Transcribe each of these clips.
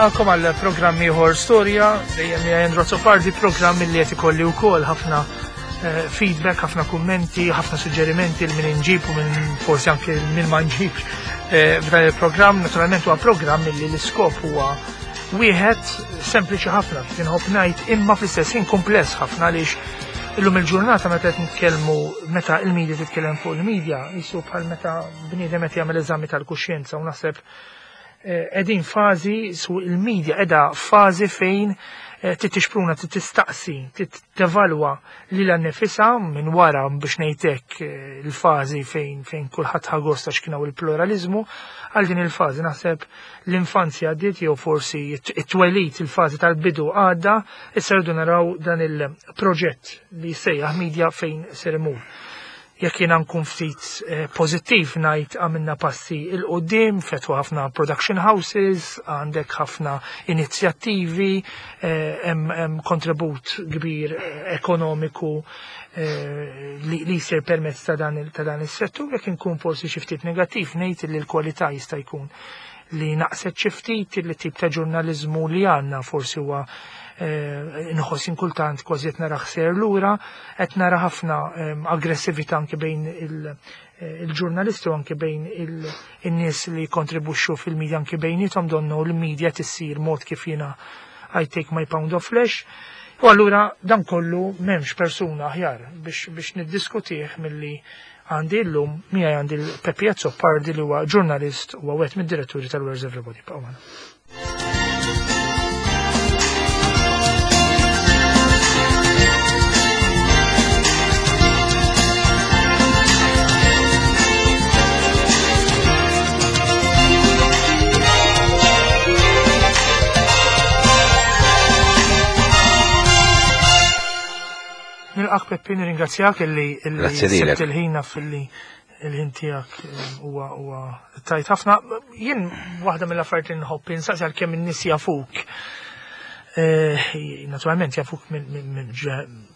Nilqakom għal programm ieħor storja dejjem hija Andrew Azzopardi, programm li qed ikolli wkoll ħafna eh, feedback, ħafna kummenti, ħafna suġġerimenti li min inġib u minn forsi anke minn ma nġibx eh, f'dan il-programm. Naturalment huwa programm li l-iskop huwa wieħed sempliċi ħafna kif inħobb ngħid imma fl-istess ħin kumpless ħafna għaliex illum il-ġurnata meta qed nitkellmu meta il-media titkellem fuq il-media jisu bħal meta bniedem qed jagħmel eżami tal-kuxjenza u naħseb Qegħdin fażi su il-media qiegħda fażi fejn eh, titixpruna, tistaqsi, tevalwa lilha nnifisha minn wara biex ngħidlek eh, il-fażi fejn fejn kulħadd ħagost għax kien hawn il-pluralizmu għal din il-fażi naħseb l-infanzja għaddiet jew forsi it-twelid il-fażi tal-bidu għadda, issa rridu naraw dan il-proġett li jsejjaħ media fejn ser imur. Jekk jiena nkun ftit eh, pożittiv ngħid għamilna passi il qudiem fetħu ħafna production houses, għandek ħafna inizjattivi, eh, hemm kontribut kbir eh, ekonomiku li jsir permezz ta' dan is-settur, jekk inkun forsi xi ftit negattiv ngħid li l-kwalità jista' jkun li naqset xi ftit li tip ta' ġurnaliżmu li għandna forsi huwa eh, nħoss inkultant kważi qed nara ħser lura, qed nara ħafna eh, aggressività anke bejn eh, il-ġurnalisti u anke bejn il-nies li kontribuxxu fil-medja anke bejnietom donnu l-medja tissir mod kif jiena I take my pound of flesh. U allura dan kollu m'hemmx persuna aħjar biex, biex niddiskutih milli Għandi llum miegħi għandi l-Peppi Azzopardi li huwa ġurnalist u wieħed mid-diretturi tal-Where's Everybody. Baqgħu magħna. Nilqak Peppi, nirringrazzjak illi illi sibt il-ħin naf illi il-ħin tiegħek eh, huwa huwa tajt ħafna. Jien waħda mill-affarijiet li nħobb insaqsi għalkemm in-nies jafuk. Eh, naturalment jafuk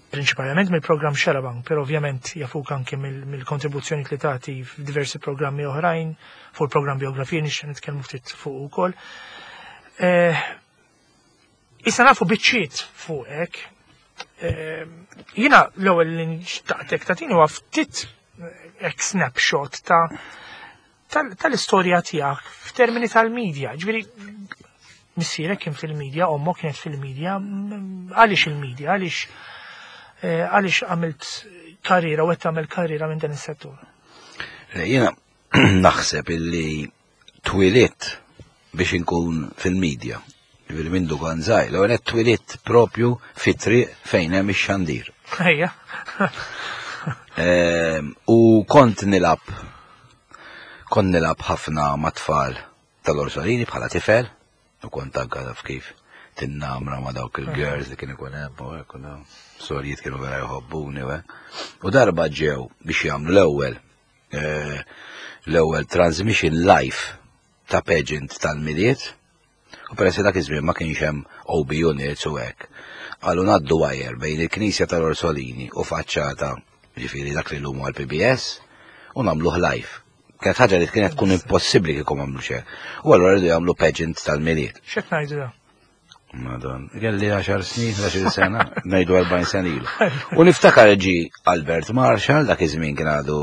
prinċipalment mill-programm Xarabank, però ovvjament jafuk anke mill-kontribuzzjoni li tagħti f'diversi programmi oħrajn, fuq il-programm biografija nixtieq nitkellmu ftit fuq ukoll. Eh, Issa nafu biċċiet fuqek. Ehm, jina l-ewwel li nxtaqtek tagħtini huwa ftit hekk snapshot ta' tal-istorja tiegħek f'termini tal-medja. Ġifieri missierek kien fil-medja, ommok kienet fil-medja, għaliex il-medja, għaliex eh, għaliex għamilt karriera u qed tagħmel karriera minn dan is-settur? Jiena naħseb illi twilidt biex inkun fil-medja. Ġifieri minn dukan żgħir, l qed twilidt propju fit-triq fejn hemm ix-xandir. Ejja. Ehm, u kont nilab kont nilab ħafna ma' tfal tal-Orsolini bħala tifel u kont anka taf kif tinnamra ma' dawk il-girls li kien ikun hemm u hekk u sorijiet kienu vera jħobbuni u hekk. U darba ġew biex jagħmlu l-ewwel Eh, l-ewwel transmission live ta' pageant tal-miliet u peress dak iż-żmien ma kienx hemm OB units u hekk. Qalu ngħaddu wire bejn il-Knisja tal-Orsolini u faċċata ġifieri dak li llum għal PBS u nagħmluh live. Kienet ħaġa li kienet tkun impossibbli kieku m'għamlu xejn. U allura rridu jagħmlu pageant tal-miliet. X'qed ngħidu Madon, kelli 10 snin, 11 sena, ngħidu 40 sena ilu. U niftakar ġi Albert Marshall, dak iż-żmien kien għadu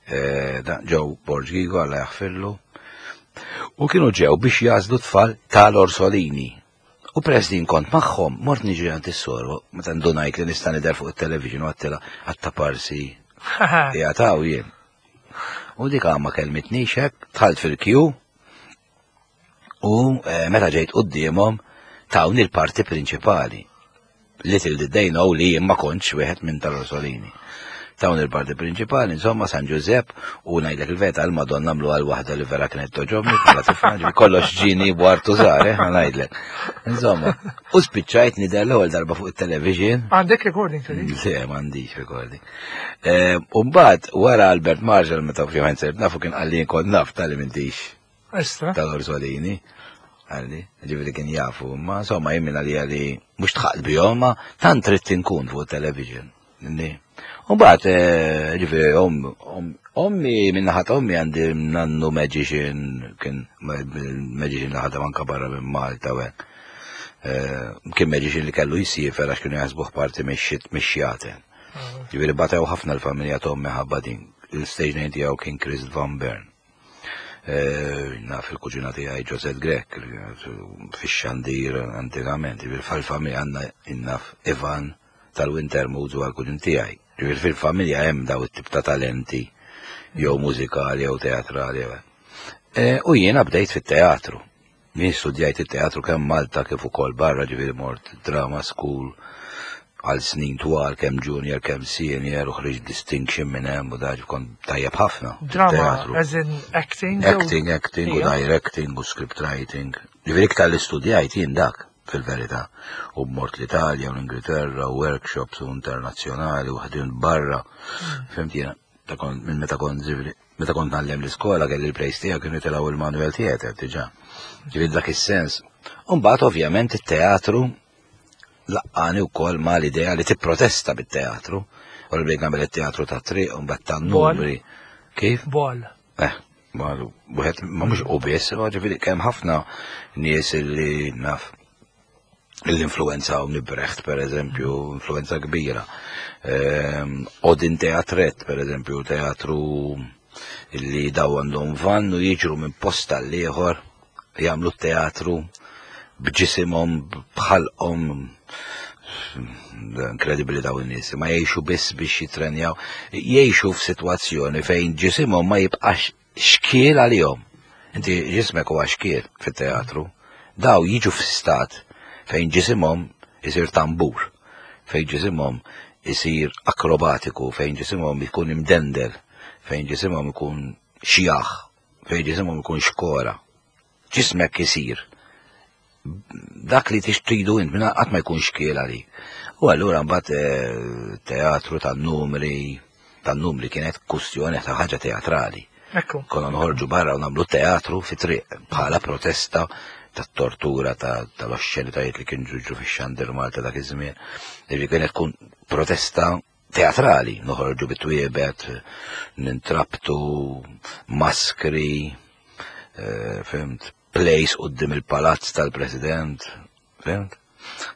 eh, ġew Borġ Gigo għalla jaħfirlu. U kienu ġew biex jażlu tfal tal-Orsolini. U peress li kont magħhom, mort niġri għand is-soru, meta ndunajt li nista' nidher fuq it-television u għattila għattaparsi. Jgħataw jien. U dik ma kelmitnix hekk, dħalt fil-kju, U eh, meta ġejt quddiemhom tawni l-parti prinċipali. Little did they know li jien ma kontx wieħed minn tal-Orsolini. Tawni l-parti prinċipali, insomma, San Giuseppe, u ngħidlek il-veta l-Madonna għamlu għal waħda li vera kienet toġobni, bħala tifla, ġifieri kollox ġini bwartu żgħar, eh, ngħidlek. Insomma, u spiċċajt nidher l-ewwel darba fuq it-television. Għandek recording fil Le, m'għandix recording. Eh, u mbagħad wara Albert Marshall meta ovvjament sirt nafu kien qalli kont naf tal-li m'intix Estra. Tal-Orsolini. Għalli, ġiviri kien jafu, ma insomma jien minna li għalli mux tħaqt bihom, ma tant trid tinkun fuq television. Inni. U mbagħad eh, ġifieri ommi minn naħa ta' ommi għandi nannu magician kien magician li ħadem anka barra minn Malta u hekk. Eh, kien magician li kellu jisiefer għax kienu jaħsbuh parti mix-xjaten. Ah. Ġifieri batew ħafna l-familja ta' ommi ħabba din. Il-stage name tiegħu kien Chris Van Bern. Eh, naf il-kuġina tiegħi Josette Grek fix-xandir antikament, fil-familja għandna innaf Ivan tal-Winter Moods u għal-kuġin tiegħi. Ġifieri fil-familja hemm daw it-tip ta' talenti jew mużikali jew teatrali. Eh, u jiena bdejt fit-teatru. Jien studjajt it-teatru kemm Malta kif ukoll barra ġifieri mort drama school għal snin twal kemm junior kemm senior u ħriġt distinction minn hemm u daġ kont tajjeb ħafna. Drama as in acting? Acting, acting u directing u script writing. Ġifieri iktar li studjajt jien dak fil-verità. U mort l-Italja u l-Ingilterra u workshops u internazzjonali u ħdimt barra. Hmm. Fimt jiena ta' kont minn meta kont ġifieri Meta kont ngħallem l-iskola kelli l-place tiegħek kienu jitilgħu il-Manuel Theater diġà. Ġifieri dak is-sens. U mbagħad ovvjament it-teatru laqqani wkoll ma l-idea li tipprotesta bit-teatru. U li bdejt nagħmel it-teatru ta' triq u mbagħad tan-numri. Kif? Bol. Eh, ma wieħed ma mhux u biss, ġifieri kemm ħafna nies li naf l-influenza u Brecht, per eżempju, influenza kbira. Ehm, Odin Teatret, per eżempju, teatru li daw għandhom van u jiġru minn posta l-ieħor jagħmlu teatru b'ġisimhom bħalqhom inkredibbli daw in-nies, ma jgħixu biss biex jitrenjaw, jgħixu f'sitwazzjoni fejn ġisimhom ma jibqax xkiel għalihom. Inti ġismek huwa xkiel fit-teatru. Daw jiġu f'stat fejn ġisimhom isir tambur, fejn ġisimhom isir akrobatiku, fejn ġisimhom ikun imdendel, fejn ġisimhom ikun xjaħ, fejn ġisimhom ikun xkora. Ġismek isir dak li tridu int minn qatt ma jkun xkiel għalik. U allura mbagħad eh, teatru tan-numri, tan-numri kienet kustjoni ta' ħaġa teatrali. Ekku. Konna noħorġu barra u nagħmlu teatru fi triq bħala protesta tat-tortura tal-oxxenitajiet li kien ġuġu fix-xandir Malta dak iż-żmien. Ġifieri kienet tkun protesta teatrali, noħorġu bit-twiebet, nintrabtu, maskri, eh, fimt, place qudiem il-palazz tal-President, fimt?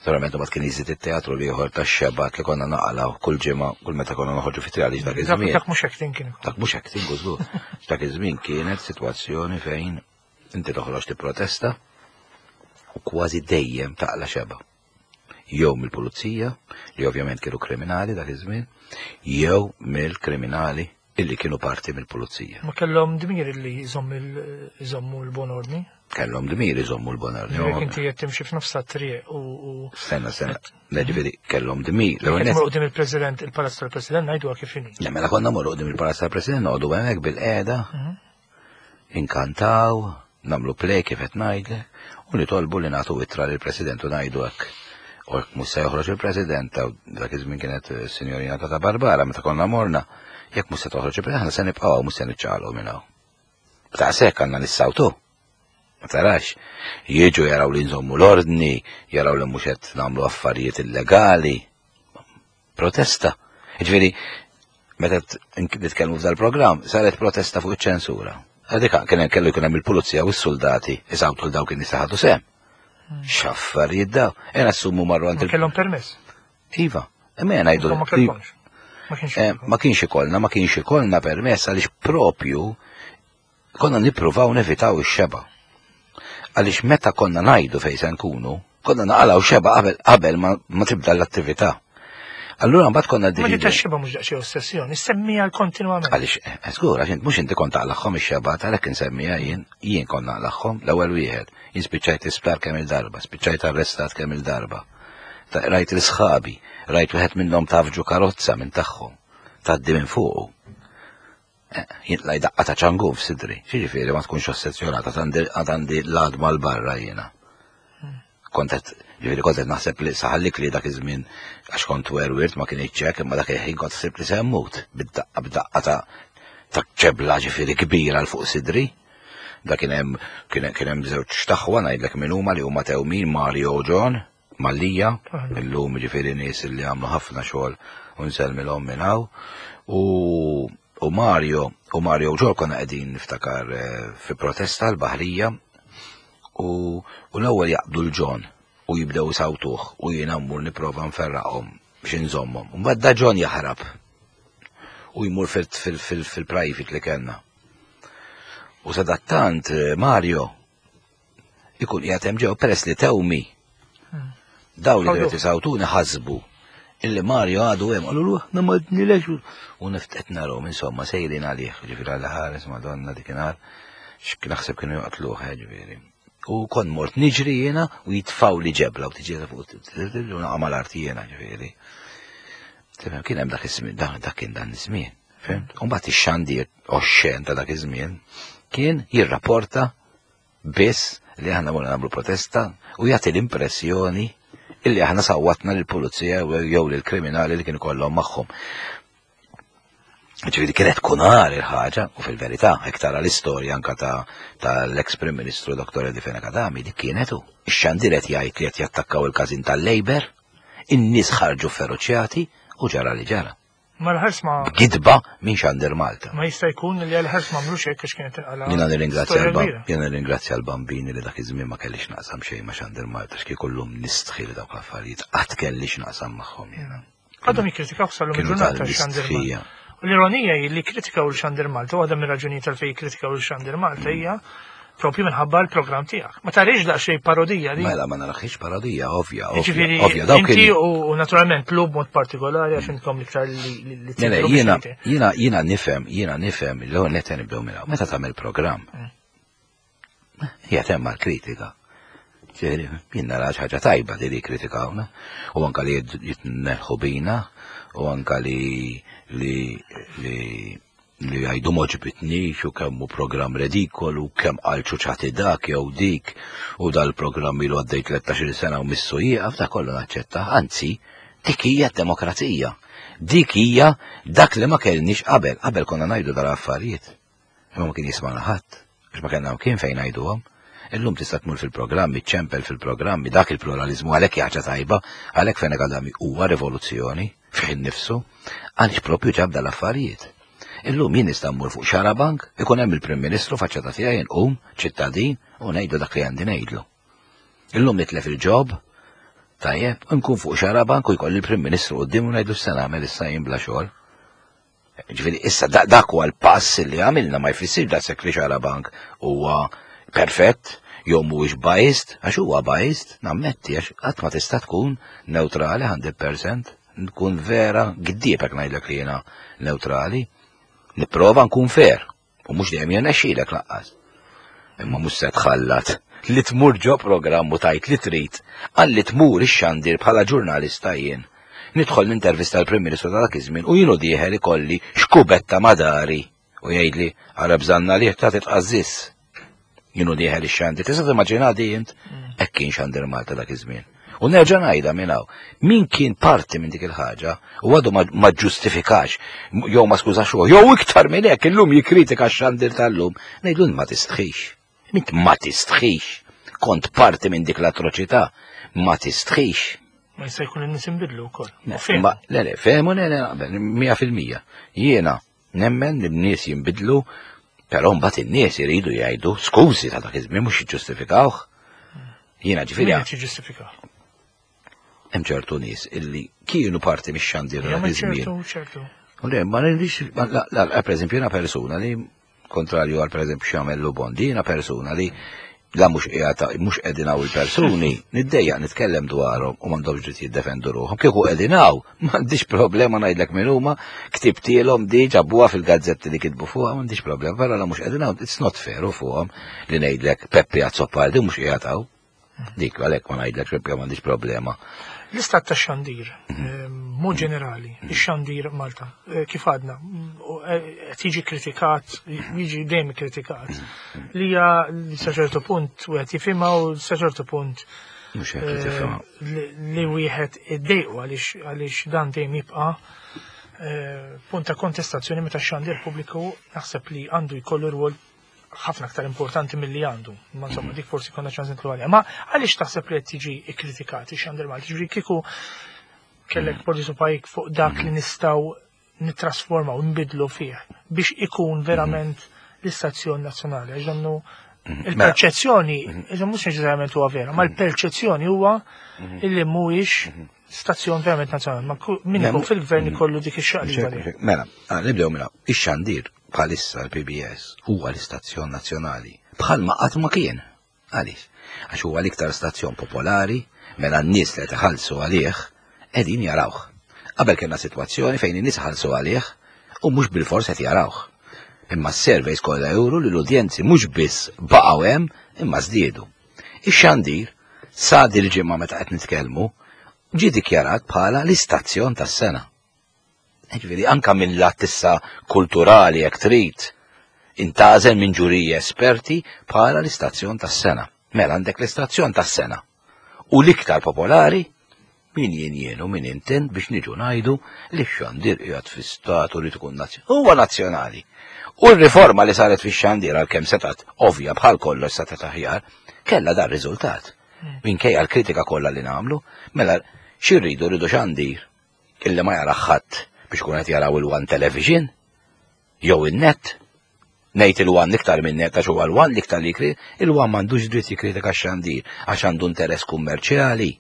Naturalment ma kien jiżid it-teatru li ieħor tax-xebat li konna naqalaw kull ġimgħa kull meta konna noħorġu fit għaliex dak iż-żmien. Dak mhux acting kien. Dak mhux acting żgur. Dak iż-żmien kienet sitwazzjoni fejn inti toħroġ tipprotesta u kważi dejjem taqla xeba. Jew mill-pulizija, li ovvjament kienu kriminali dak iż-żmien, jew mill-kriminali illi kienu parti mill-pulizija. Ma kellhom dmir illi jżommu l-bon ordni? Kellhom dmir jżommu l-bon ordni. Jekk inti qed timxi f'nofs triq u. Stenna, stenna. Ġifieri kellhom dmir. Jekk qudiem il-President, il-Palazz tal-President ngħidu kif inhi. Le mela konna morru qudiem il-Palazz tal-President noqogħdu hemmhekk bil-qiegħda. Mhm. Inkantaw, nagħmlu play kif qed ngħidlek, u nitolbu li nagħtu ittra lill-President u ngħidu hekk. U hekk mhux se joħroġ il-President, ta' dak iż-żmien kienet eh, Sinjorina Tata Barbara meta konna morna, jekk mhux se toħroġ il-President, aħna se nibqgħu mhux se niċċaqalqu minn hawn. Daqshekk għandna nissawtu. Ma tarax, jiġu jaraw li nżommu l-ordni, jaraw li mhux qed nagħmlu affarijiet illegali. Protesta. Ġifieri, meta nitkellmu f'dal programm, saret protesta fuq iċ-ċensura. Għadik kien kellu jkun hemm il-pulizija u s-soldati isawtu l dawk in-nies ħadu sehem. Hmm. X'affarijiet daw. Ena assumu marru għand Kellhom permess. Iva, imma jena ngħidu. Ma kellhomx. Eh, ma kienx ikollna, ma kienx ikollna permess għaliex propju Konna nippruvaw nevitaw ix-xebgħa. Għaliex meta konna ngħidu fejn se nkunu, konna naqalgħu xebgħa qabel qabel ma, ma tibda l-attività. Allura mbagħad konna Ma dik xeba mhux daqsxejn ossessjoni, semmija kontinwament. Għaliex, eh, żgur, għax mhux inti kont taqlagħhom ix-xebgħa għalhekk insemmija jien, jien kont naqlagħhom l-ewwel wieħed. Jien spiċċajt isptar kemm il-darba, spiċċajt arrestat kemm il-darba. Rajt l-sħabi, rajt wieħed minnhom tafġu karozza minn tagħhom, tgħaddi minn fuqu. Eh, jintlaj daqqa ta' ċangu f'sidri. Xiġifieri ma tkunx ossessjonata għad għandi l-għadma l-barra jiena. Kontet, ġifieri kontet naħseb li saħallik li dak iż-żmien għax kont werwirt ma kien iċċek imma dak il-ħin kont ħsib li se mmut bid-daqqa b'daqqa ta' ta' ċebla ġifieri kbira l fuq sidri. Da kien hemm kien hemm żewġ taħwa ngħidlek min huma li huma tewmin Mario u John. Mallia, illum ġifieri nies li għamlu ħafna xogħol u nsellmilhom minn hawn. U u Mario, u Mario u Ġol konna qegħdin niftakar eh, fi protesta l-Baħrija u, u l-ewwel jaqbdu l-Ġon u jibdew isawtuh u jiena mmur nipprova nferraqhom biex inżommhom. Mbagħad da Ġon jaħrab u jmur fil-private li kellna. U sadattant eh, Mario ikun qiegħed hemm ġew peress li tewmi. Daw li qed isawtuni ħasbu illi Mario għadu hemm qalu aħna ma dnilex u niftet narhom insomma sejrin għalih, ġifieri għal ħares Madonna dikinhar x'naħseb kienu joqtluh eh, ġifieri. U kont mort niġri jiena u jitfaw li ġebla u tiġi fuq u naqa' mal-art jiena ġifieri. Tifhem kien hemm dak iż-żmien, dak kien dan iż-żmien. Fimt? U mbagħad ix-xandir oxxen ta' dak iż-żmien kien jirrapporta biss li aħna morna nagħmlu protesta u jagħti l-impressjoni illi aħna sawwatna lill-pulizija jew lill-kriminali li kienu kollhom magħhom. Ġifieri kienet tkun għar il-ħaġa u fil-verità hekk tara l-istorja anka ta' tal-ex Prim Ministru Dr. Eddie Fenech Adami dik kienet hu. Ix-xandir qed jgħid li qed jattakkaw il-każin tal-Labour, in-nies ħarġu feroċjati u ġara li ġara. Ma l-ħars ma. Gidba minn Xandir Malta. Ma jista' jkun li għal-ħars ma għamlux hekk għax kienet inqala. Jiena nirringrazzja jiena nirringrazzja l-bambini li dak iż-żmien ma kellix naqsam xejn ma' Xandir Malta x'kieku llum nistħi li dawk l-affarijiet qatt kellix naqsam magħhom jiena. Għadhom jikkritikaw sal-lum il-ġurnata Xandir Malta. U l-ironija hi li kkritikaw lil Xandir Malta, waħda mir-raġunijiet għalfejn jikkritikaw lil Xandir Malta hija propju minħabba l-programm tiegħek. Ma tarix daqsxejn parodija li. Mela ma naraħiex parodija, ovvja, ovvja. Ovvja, dawk inti u naturalment lub mod partikolari għax intkom iktar li li Jiena jiena jiena nifhem, jiena nifhem li ewwel nett nibdew minn Meta tagħmel programm. Hija temma l-kritika. Ġifieri, jien nara ħaġa tajba li li kritikawna u anka li jitneħħu bina u anka li li li li jgħidu m'għoġbitnix u kemm hu programm redikolu, kemm qal ċuċati dak jew dik u dal-programm ilu għaddej 13-il sena u missu jieqaf, dak kollu naċċetta. Anzi, dik hija d-demokrazija. Dik hija dak li ma kellniex qabel. Qabel konna ngħidu dal-affarijiet. Imma ma kien jismagħna ħadd, għax ma kellna kien fejn ngħiduhom. Illum tista' tmur fil-programmi, ċempel fil-programmi, dak il-pluralizmu għalhekk ħaġa tajba, għalhekk Fenech Adami huwa rivoluzzjoni fih innifsu, għaliex propju ġab dal-affarijiet. Illum jien nista' mmur fuq Xarabank, ikun hemm il-Prim Ministru faċċata tiegħi nqum ċittadin u ngħidu dak li għandi ngħidlu. Illum nitlef il-ġob, tajjeb, nkun fuq Xarabank u jkolli il-Prim Ministru quddiem u ngħidlu x'se nagħmel issa jien bla xogħol. Ġifieri issa dak huwa l-pass li għamilna ma jfissirx daqshekk li Xarabank huwa perfett jew mhuwiex biased, għax huwa biased, nammetti għax qatt ma tista' tkun neutrali 100%, nkun vera giddieb hekk ngħidlek li jiena neutrali. Nipprova nkun fair u mhux dejjem jirnexxilek laqqas. Imma mhux se tħallat li tmur ġo programm u tajt li trid għal li tmur ix-xandir bħala ġurnalista jien. Nidħol nintervista l-Prim Ministru ta' dak iż-żmien u jienu dieħel ikolli xkubetta madari u jgħidli ara bżanna liħ ta' titqażżis. Jienu dieħel ix-xandir. Tista' timmaġina di int? Mm. Hekk kien xandir Malta dak iż-żmien. U nerġa' ngħidha minn hawn. Min kien parti minn dik il-ħaġa u għadu ma ġustifikax jew ma skużax ruħu, jew iktar minn hekk illum jikkritika x-xandir tal-lum, ngħidlu ma tistħix. Int ma tistħix. Kont parti minn dik l-atroċità, ma tistħix. Ma jista' jkun in-nies inbidlu wkoll. Le, le, fehmu le, le, naqbel, 100%. Jiena Nemmen li n-nies jinbidlu, però mbagħad in-nies iridu jgħidu skużi ta' dak iż-żmien mhux jiġġustifikawh. Jiena ġifieri. Min qed jiġġustifikah? Hemm ċertu nies illi kienu parti mix-xandir dak iż-żmien. Ċertu, ċertu. U le, ma nirrix, la, per eżempju, jiena persuna li kontrarju għal pereżempju x'jagħmel Lubondi, jiena persuna li la mhux qiegħed mhux qegħdin hawn il-persuni, niddejjaq nitkellem dwarhom u m'għandhomx dritt jiddefendu ruħhom. Kieku qegħdin hawn, m'għandix problema ngħidlek min huma, ktibtielhom di ġabuha fil-gazzetti li kitbu fuqha, m'għandix problema, però la mhux qegħdin hawn, it's not fair u fuqhom li ngħidlek Peppi Azzopardi mhux qiegħed hawn. Dik għalhekk ma ngħidlek Peppi m'għandix problema. L-istat ta' xandir, mhm. eh, mod ġenerali, mhm. ix-xandir Malta, eh, kif għadna, eh, qed jiġi kritikat, jiġi dejjem kritikat, mhm. li hija li sa ċertu punt wieħed jifhimha u sa ċertu punt li wieħed iddejqu għaliex dan dejjem jibqa' punt ta' kontestazzjoni meta x-xandir pubbliku naħseb li għandu jkollu rwol. ħafna aktar importanti milli għandu. Ma insomma, dik forsi konna ċans nitlu għalija. Ma għaliex taħseb li qed tiġi ikkritikat ix-xandir Malti? Ġifieri kieku kellek poġġi subgħajk fuq dak li nistgħu nittrasformaw, nbidlu fih biex ikun verament l-istazzjon nazzjonali. Għax donnu il-perċezzjoni, iżda mhux neċessarjament huwa vera, ma l-perċezzjoni huwa illi mhuwiex stazzjon verament nazzjonali. Ma min ikun fil-gvern ikollu dik ix-xaqliba. Mela, nibdew mela, ix-xandir bħalissa l-PBS huwa l-istazzjon nazzjonali bħalma qatt ma kien. Għaliex? Għax huwa l-iktar stazzjon popolari, mela n-nies li qed iħallsu għalih qegħdin jarawh. Qabel kellna sitwazzjoni fejn in-nies iħallsu għalih u mhux bilfors qed jarawh. Imma s-surveys kollha juru li l-udjenzi mhux biss baqgħu hemm imma żdiedu. Ix-xandir sa dil-ġimgħa meta qed nitkellmu ġie dikjarat bħala l-istazzjon tas-sena. Ġifieri anka minn lat issa kulturali jekk trid, intgħażel minn ġuriji esperti bħala l-istazzjon tas-sena. Mela għandek l-istazzjon tas-sena. U l-iktar popolari min jien jien u min intin biex niġu ngħidu li x-xandir qiegħed fi statu li tkun nazzjonali. Huwa nazzjonali. U r-riforma li saret fix-xandir għalkemm setgħet ovvja bħal kollox setgħet aħjar, kellha dar riżultat. Minkejja l-kritika kollha li nagħmlu, mela xi rridu rridu xandir illi ma jara ħadd biex kun qed jaraw il-One Television jew in-net. Ngħid il-One iktar minn net għax huwa l-One l-iktar li jkri, il-One m'għandux dritt jikkritika x-xandir għax għandu interess kummerċjali.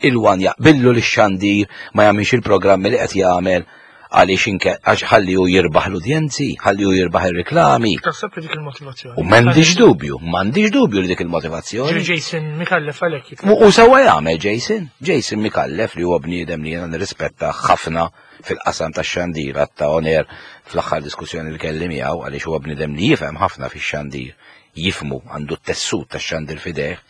Il-One jaqbillu li x-xandir ma jagħmilx il-programmi li qed jagħmel għaliex inke għax ħalli hu jirbaħ l-udjenzi, ħalli hu jirbaħ ir-riklami. Taħseb li dik il-motivazzjoni. U m'għandix dubju, m'għandix dubju li dik il-motivazzjoni. Jason Mikallef għalhekk. U sewwa jagħmel Jason, Jason Mikallef li huwa bniedem li jiena nirrispetta ħafna fil-qasam tax-xandir ta' oner fl-aħħar diskussjoni li kelli miegħu għaliex huwa bniedem li jifhem ħafna fix-xandir, jifmu għandu t-tessut tax-xandir f'idejh,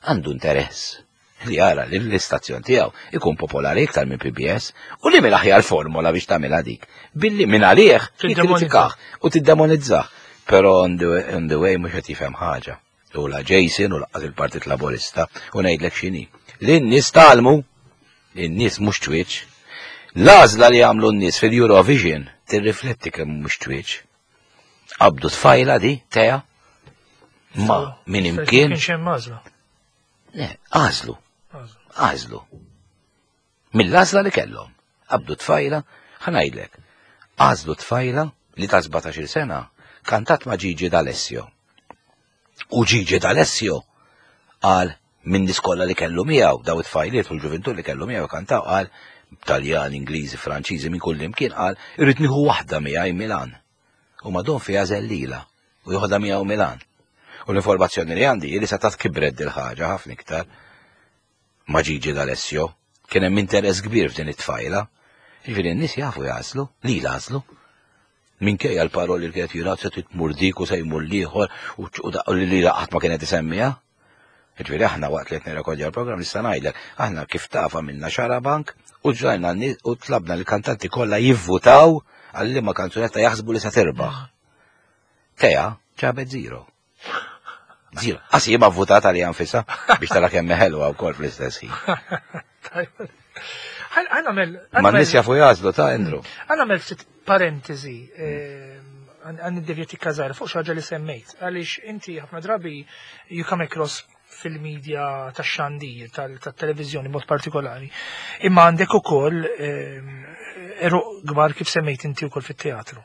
għandu interess li jara li l-istazzjon tiegħu ikun popolari iktar minn PBS u li mill-aħjar formola biex tagħmilha dik. Billi minn għalih tikkritikah u tiddemonizzah. Però on the, on the way mhux qed jifhem ħaġa. U la Jason u laqqas il-Partit Laburista u ngħidlek x'inhi. Li n-nies talmu, in-nies mhux twieċ. L-għażla li għamlu n-nies fil-Eurovision tirrifletti kemm mhux twieċ. Qabdu tfajla di, teja, ma minn imkien. Kienx hemm għażla. Le, għażlu. Għażlu. Mill-għażla li kellhom. Qabdu tfajla, ħanajdlek. Għażlu tfajla li ta' 17-il sena kantat ma' Gigi D'Alessio. U Gigi D'Alessio qal minn nies kollha li kellu miegħu, daw it-tfajliet u l-ġuvintur li kellu miegħu kantaw qal Taljan, Ingliżi, Franċiżi minn kull imkien qal irrid nieħu waħda miegħi Milan. U Madon fiha żellila u joħodha miegħu Milan. U l-informazzjoni li għandi li setgħet kibret dil-ħaġa ħafna iktar ma' Gigi D'Alessio. Kien hemm interess kbir f'din it-tfajla. Jiġifieri n-nies jafu jagħżlu, li jagħżlu. Minkejja l-paroli li kienet jingħad se tmur dik u se jmur l-ieħor u li qatt ma kienet isemmiha. Ġifieri aħna waqt li qed nirrekordja l-programm nista' ngħidlek, aħna kif tafa minna xarabank u ġrajna u tlabna l-kantanti kollha jivvutaw għal liema kanzunetta jaħsbu li se tirbaħ. Teja ġabet zero. Zero. Qas jien ma vvutat għalija nfisha biex tara kemm ħelwa wkoll fl-istess ħin. Ma n-nies jafu jażlu ta' Andrew. Għanamel ftit parentesi ehm, għan id-devjeti kazar fuq xaġa li semmejt. Għaliex inti ħafna drabi you come across fil-medja tax xandir tal-televizjoni mod partikolari. Imma għandek ukoll ehm, eruq kbar kif semmejt inti wkoll fit-teatru.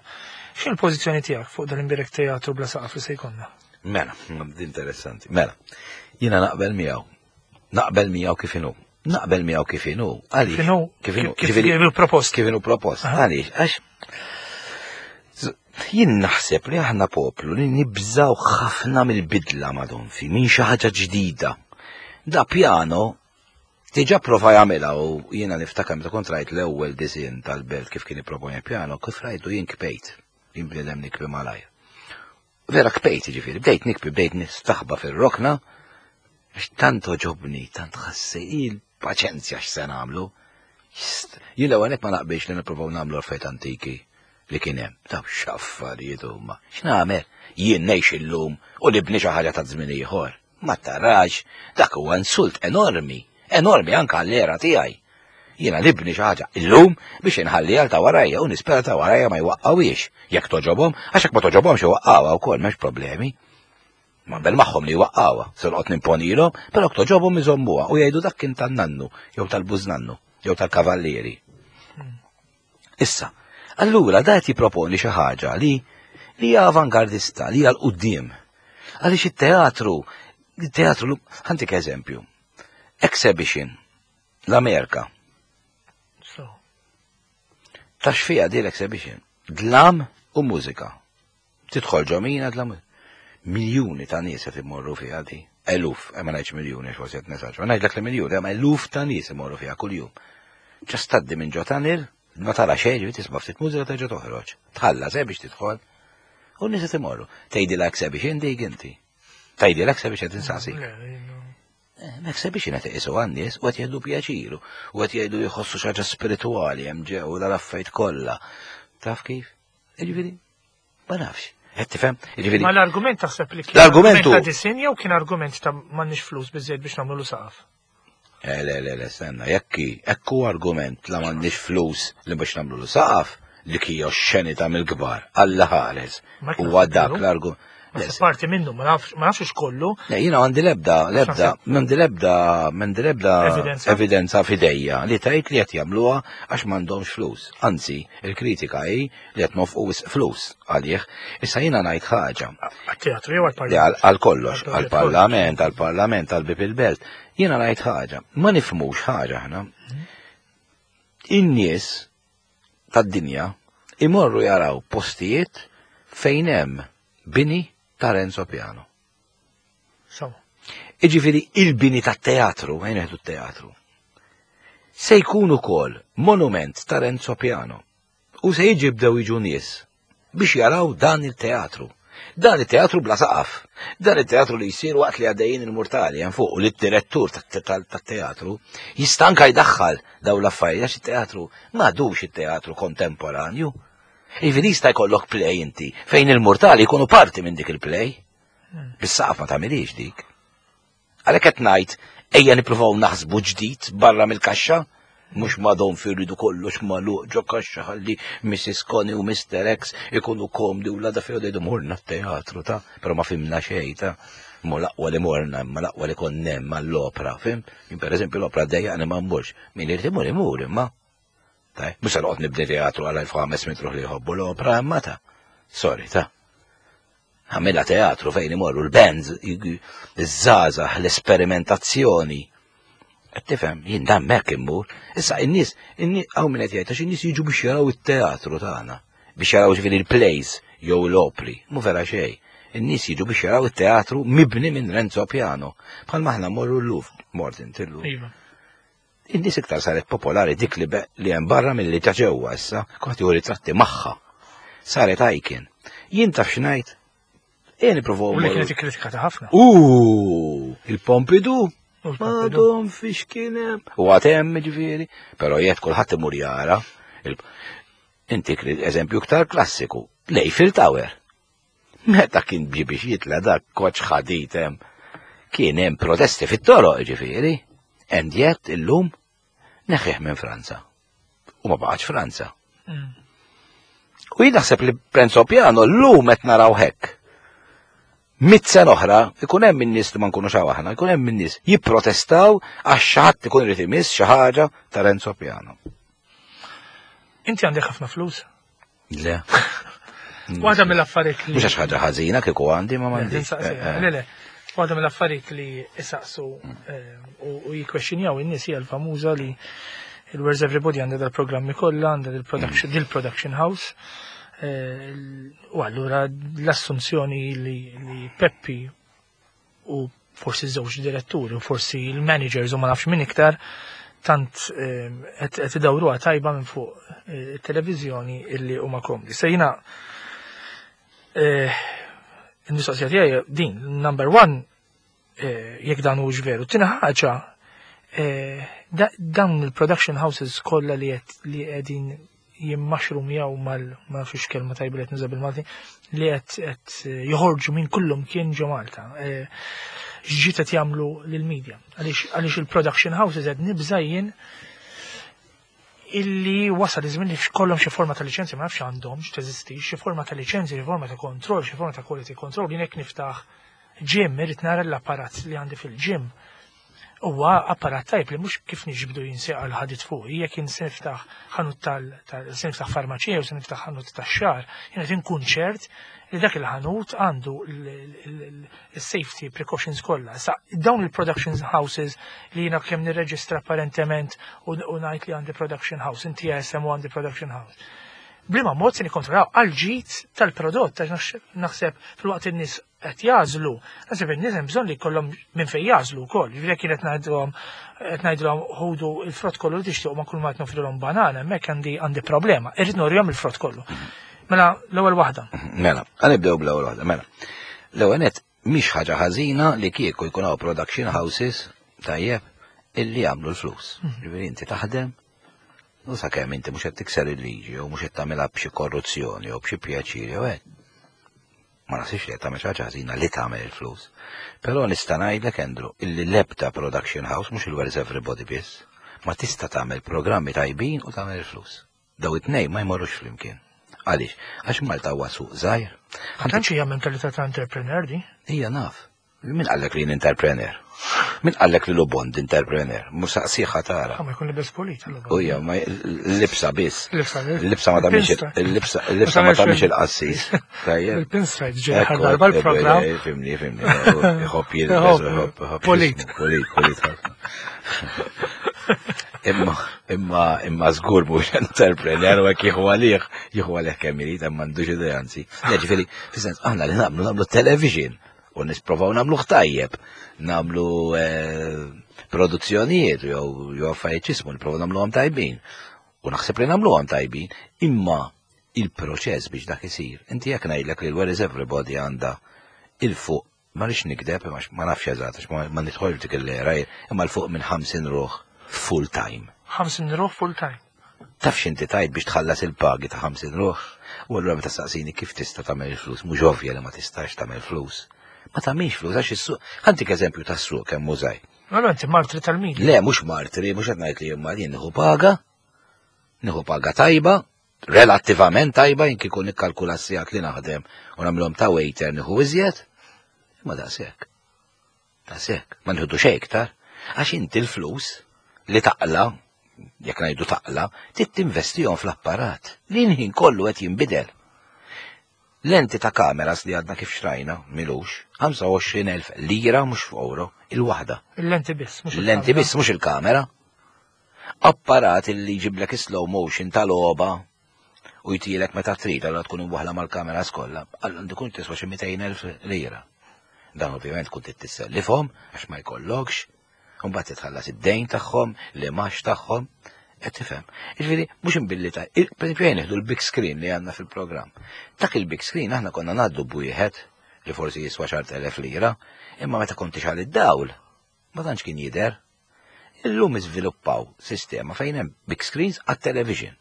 X'in il-pożizzjoni tiegħek fuq dal-imbirek teatru bla saqaf li se jkollna? Mela, interessanti. Mela, jiena naqbel miegħu. Naqbel miegħu kif inhu. Naqbel miegħu kif inhu. Għaliex? Kif inhu? Kif inhu propost? Kif inhu propost. Għaliex? Għax jien naħseb li aħna poplu li nibżaw ħafna mill-bidla madonfi, minn xi ħaġa ġdida. Da piano diġà prova jagħmilha u jiena niftakar meta kont rajt l-ewwel disinn tal-belt kif kien ipproponi piano, kif rajtu jien kpejt, jien bniedem nikbi malajr. Vera kpejt, ġifieri, bdejt nikbi, bdejt nistaħba fir-rokna, għax tant oġobni, tant ħassi il-paċenzja x'se nagħmlu. Jien l-ewwel ma naqbilx li nippruvaw nagħmlu affarijiet antiki li kien hemm. Daw x'affarijiet huma. X'nagħmel? Jien ngħix illum u nibni xi ħaġa ta' żmien ieħor. Ma tarax, dak huwa insult enormi, enormi anke għall-era tiegħi. Jiena nibni xi ħaġa illum biex inħalli għal ta' warajja u nispera ta' warajja ma jwaqqawiex jekk toġobhom, għax jekk ma toġobhomx iwaqqawha wkoll m'hemmx problemi. Ma bel magħhom li waqqawha, se noqgħod nimponilhom, però toġobhom iżommuha u jgħidu dak kien tan-nannu jew tal-bużnannu jew tal-kavallieri. Issa, allura da qed jipproponi xi ħaġa li li hija avangardista, li hija l-quddiem. Għaliex it-teatru, it-teatru, ħantik eżempju, exhibition, l-Amerika. Tax fija di l-exhibition, dlam u mużika. Tidħol ġo mina dlam. Miljuni ta' nies qed imorru fiha di. Eluf, eh, ma ngħidx miljuni għax forsi qed nesaġra, ngħidlek li miljuni, hemm eluf ta' nies imorru fiha kuljum. Ġast tgħaddi minn ġo tunnel, ma tara xejn, ġifieri tisma' ftit mużika terġa' toħroġ. Tħallas eh biex tidħol. U n-nies qed imorru. Tgħidilha exhibition dik inti. Tgħidilha exhibition tinsaqsik. Eh, exhibition qed iqisu għan-nies u qed jgħidu pjaċiru u qed jgħidu jħossu xi ħaġa spiritwali hemm ġew dal-affarijiet kollha. Taf kif? Jiġifieri, ma nafx. Qed tifhem? Jiġifieri. Ma l-argument taħseb li kien l-argument ta' disin jew kien argument ta' m'għandniex flus biżejjed biex nagħmlu saqaf? Eh, le, le, le, stenna, jekk hekk hu argument la m'għandniex flus li biex nagħmlu saqaf li kija xenita mill-kbar, Alla ħares. Huwa dak l-argument. Parti minnu, ma nafx kollu. Le, jiena għandi lebda, lebda, għandi lebda, għandi lebda evidenza fidejja li tgħid li qed jagħmluha għax m'għandhomx flus. Anzi, il-kritika hi li qed nofqu wisq flus għalih. Issa jiena ngħid ħaġa. Għat-teatru jew għall-parlament? Għal kollox, għall-parlament, għall-parlament, għall-bib il-belt. Jiena ngħid ħaġa, ma nifhmux ħaġa aħna. In-nies tad-dinja imorru jaraw postijiet fejn hemm bini ta' Renzo Piano. So. Iġifieri il-bini tat-teatru, ejn neħdu t-teatru, se jkun ukoll monument ta' Renzo Piano u se jiġi bdew jiġu nies biex jaraw dan il-teatru. Dan il-teatru bla saqaf. Dan il-teatru li jsir waqt li għaddejjin il-murtali hemm fuq u li d-direttur tat-teatru jista' anka jdaħħal dawn l-affarijiet għax it-teatru m'għadux it-teatru kontemporanju. Jiġifieri jista' jkollok play inti fejn il-murtali jkunu parti minn dik il-play. Bis-saqaf ma tagħmilix dik. Għalhekk qed ngħid ejja nippruvaw naħsbu ġdid barra mill-kaxxa, mhux madhom fi rridu kollox magħluq ġo kaxxa ħalli Mrs. Connie u Mr. X ikunu komdi u l-għada filgħodu jgħidu morna t-teatru ta' però ma fimna xejn ta' mu l-aqwa li morna imma l-aqwa li konna hemm għall-opra, fim? Jien pereżempju l-opra ddejjaqni ma mmurx. Min irid imur imur imma. Taj, mhux se noqgħod nibni teatru għal 1500 ruħ li jħobbu l-opra imma ta' sorry ta' Għamilha teatru fejn imorru l-bands, iż-żgħażagħ, l-esperimentazzjoni. Qed tifhem, jien dan hekk immur. Issa in-nies, hawn min qed jgħid għax in-nies jiġu biex jaraw it-teatru tagħna, biex jaraw ġifieri l-plays jew l-opri, mhu vera xejn. In-nies jiġu biex jaraw it-teatru mibni minn Renzo Piano. Bħalma aħna mmorru l-Louvre, mort inti l-Louvre. Iva. In-nies iktar saret popolari dik li li hemm barra milli ta' ġewwa issa, kulħadd jieħu ritratti magħha. Saret icon. Jien taf x'ngħid? Ejja nippruvaw. U li kienet ikkritikata ħafna. U il-Pompidou Madom fiex kien hemm. U għad hemm ġifieri, però jgħid kulħadd imur jara. Inti eżempju iktar klassiku, l-Eiffel Tower. Meta kien ġie biex jitla' dak koċ ħadid hemm, kien hemm protesti fit-toroq ġifieri. And yet illum neħħih minn Franza. U ma baqgħetx Franza. U jien naħseb li Renzo Piano llum qed naraw hekk. Mit sena oħra ikun hemm in-nies li ma nkunux hawn aħna, ikun hemm in-nies jipprotestaw għax xi ħadd ikun irid imiss xi ħaġa ta' Renzo Piano. Inti għandek ħafna flus? Le. Waħda mill-affarijiet li. Mhux għax ħaġa ħażina kieku għandi ma m'għandi. Eh, eh. Le, le. Waħda mill-affarijiet li isaqsu eh, u jikkwexxinjaw in-nies hija l-famuża li il-Where's Everybody għandha dal-programmi kollha, għandha dil-production mm. house. U allura l-assunzjoni li Peppi u forsi żewġ diretturi u forsi l-managers u ma nafx min iktar tant ehm, qed idawruha tajba minn fuq eh, it-televiżjoni illi huma komdi. Se jiena eh, il-mistoqsija tiegħi din, number one, eh, jekk dan hux veru. Tieni ħaġa, dawn il-production houses kollha li qegħdin jimmaxrumjaw mal ma nafx kelma tajba li qed nuża bil-Malti li qed qed eh, joħorġu minn kullum kien ġo Malta. Eh, x'ġiet qed jagħmlu lill-media. Għaliex il-production houses qed nibża' jien illi wasal iż-żmien li kollhom xi forma ta' liċenzja ma nafx għandhom x'teżisti, xi forma ta' liċenzja, xi forma ta' kontroll, xi forma ta' quality control, jien hekk niftaħ Gym, irrid nara l-apparat li għandi fil-gym huwa apparat tajb li mhux kif niġbdu jinseqa l-ħadid fuq, jekk jien se niftaħ ħanut tal se niftaħ farmaċija u se niftaħ ħanut tax-xagħar, jien qed inkun ċert li dak il-ħanut għandu l-safety precautions kollha. Sa dawn il-production houses li jiena kemm nirreġistra apparentement u ngħid li għandi production house, inti SM u għandi production house. Bliema mod se nikkontrollaw għal ġid tal-prodott għax naħseb fil-waqt in-nies qed jażlu, naħseb in-nies hemm bżonn li jkollhom minn fejn jażlu wkoll. Jiġifieri jekk qed ngħidulhom qed ngħidulhom ħudu l-frott kollu li tixtiequ ma kull ma qed nofrilhom banana, hemmhekk għandi għandi problema. Irrid nurihom il-frott kollu. Mela l-ewwel waħda. Mela, nibdew bl-ewwel waħda, mela. L-ewwel nett mhix ħaġa ħażina li kieku jkun hawn production houses tajjeb illi jagħmlu l-flus. Ġifieri inti taħdem u sakemm inti mhux qed tikser il-liġi jew mhux qed tagħmilha b'xi korruzzjoni jew b'xi pjaċir jew hekk. Ma naħsibx li qed tagħmel xi ħaġa ħażina li tagħmel il-flus. Però nista' ngħidlek Andrew illi l-ebda production house mhux il-Where's Everybody biss ma tista' tagħmel programmi tajbin u tagħmel il-flus. Daw it-tnejn ma jmorrux flimkien. Għaliex? Għax Malta huwa suq żgħir. Ma tantx hija mentalità ta' entrepreneur di. Hija naf. Min qallek li jien entrepreneur? Min qallek li Lubond entrepreneur? Mhux saqsiħa tara. Ma jkun libes pulit. U hija ma l-libsa biss. Il-libsa ma tagħmilx il-libsa il-libsa ma tagħmilx il-qassis. Tajjeb. Il-pinstripe ġej darba l-programm. Eh, fimni, fimni. Iħobb jilbes, iħobb, iħobb. Pulit. Pulit, pulit. Imma, imma, imma żgur mhux entrepreneur u hekk jieħu għalih, jieħu għalih kemm irid, hemm m'għandux idea anzi. Ġifieri, fis-sens aħna li nagħmlu nagħmlu television u nisprovaw nagħmluh tajjeb, nagħmlu eh, produzzjonijiet jew jew affarijiet ġismu nipprovaw nagħmluhom tajbin. U naħseb li nagħmluhom tajbin, imma il-proċess biex dak isir. Inti jekk ngħidlek li l-Where is Everybody għandha il-fuq ma rix nikdeb, ma nafx eżatt, ma nidħol dik il-lera, imma l-fuq minn 50 ruħ full time. 50 ruħ full time. Taf x'inti tajt biex tħallas il-pagi ta' 50 ruħ? U allura meta saqsini kif tista' tagħmel il-flus, mhux ovvja li ma tistax tagħmel flus. Ma tagħmilx flus għax is-suq. Ħantik eżempju tas-suq kemm mużaj. Allura inti martri tal-media. Le, mhux martri, mhux qed ngħid li jien jien nieħu paga, nieħu paga tajba, relattivament tajba jien kieku nikkalkula s-sigħat li naħdem u nagħmilhom ta' waiter nieħu iżjed, imma daqshekk. Daqshekk, ma nħidu xejn iktar, għax inti l-flus li taqla, jekk ngħidu taqla, trid tinvestihom fl-apparat li l-ħin kollu qed jinbidel. Lenti ta' kameras li għadna kif xtrajna, milux, 25,000 lira mhux f'euro, il-waħda. Il-lenti biss, mhux Il-lenti biss mhux il-kamera. Apparat li jġiblek slow motion tal-logħba u jtilek meta trid, allura tkun imwaħla mal-kameras kollha, allura tkun tiswa xi 200,000 lira. Dan ovvjament tkun trid tissellifhom għax ma jkollokx, u mbagħad titħallas id-dejn tagħhom, l-imax tagħhom, qed tifhem. Jiġifieri mhux imbilli ta' pereżempju jien nieħdu l-big screen li għandna fil-programm. Dak il-big screen aħna konna ngħaddu b'wieħed li forsi jiswa xar telef lira, imma meta kont tixgħal id-dawl, ma tantx kien jidher. Illum iżviluppaw sistema fejn hemm big screens għat-television.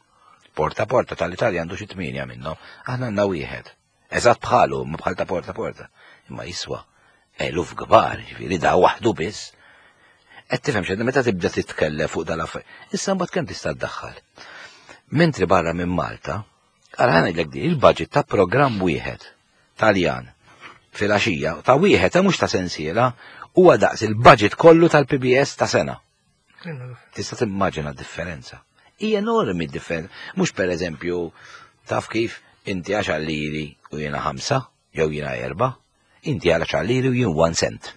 Porta porta tal-Italja għandu xi tmienja minnhom, aħna għandna wieħed. Eżatt bħalu, ma bħal ta' porta porta. Imma jiswa eluf kbar, ġifieri da waħdu biss. Qed tifhem x'għedna meta tibda titkellem fuq dal-affarijiet. Issa mbagħad kemm tista' ddaħħal. Mentri barra minn Malta, ara ngħidlek di, il-budget ta' programm wieħed Taljan filgħaxija ta' wieħed ta' mhux ta' sensiela huwa daqs il-budget kollu tal-PBS ta' sena. Tista' timmaġina d-differenza. Hija enormi d-differenza. Mhux pereżempju taf kif inti għax liri u jiena ħamsa jew jiena erba', inti għal liri u jien one cent.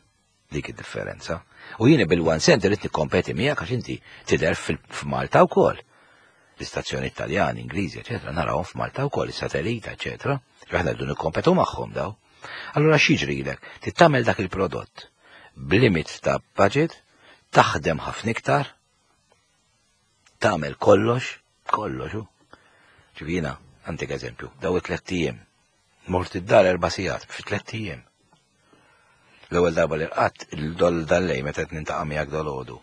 Dik id-differenza. U jiena bil-one cent irrid nikkompeti miegħek għax inti tidher f'Malta wkoll. L-istazzjoni Italjani, Ingliżi, eċetera, narawhom f'Malta wkoll, is-satellita, eċetera. Aħna rridu nikkompetu magħhom daw. Allura x'jiġrilek? Trid tagħmel dak il-prodott b'limit ta' budget, taħdem ħafna iktar, tagħmel kollox, kollox hu. Ġifieri għandek eżempju, daw it-tliet ijiem. Mort id-dar erba' sigħat fi tliet ijiem. L-ewwel darba li rqadt il-dol dal-lej meta qed nintaqa' miegħek dolodu.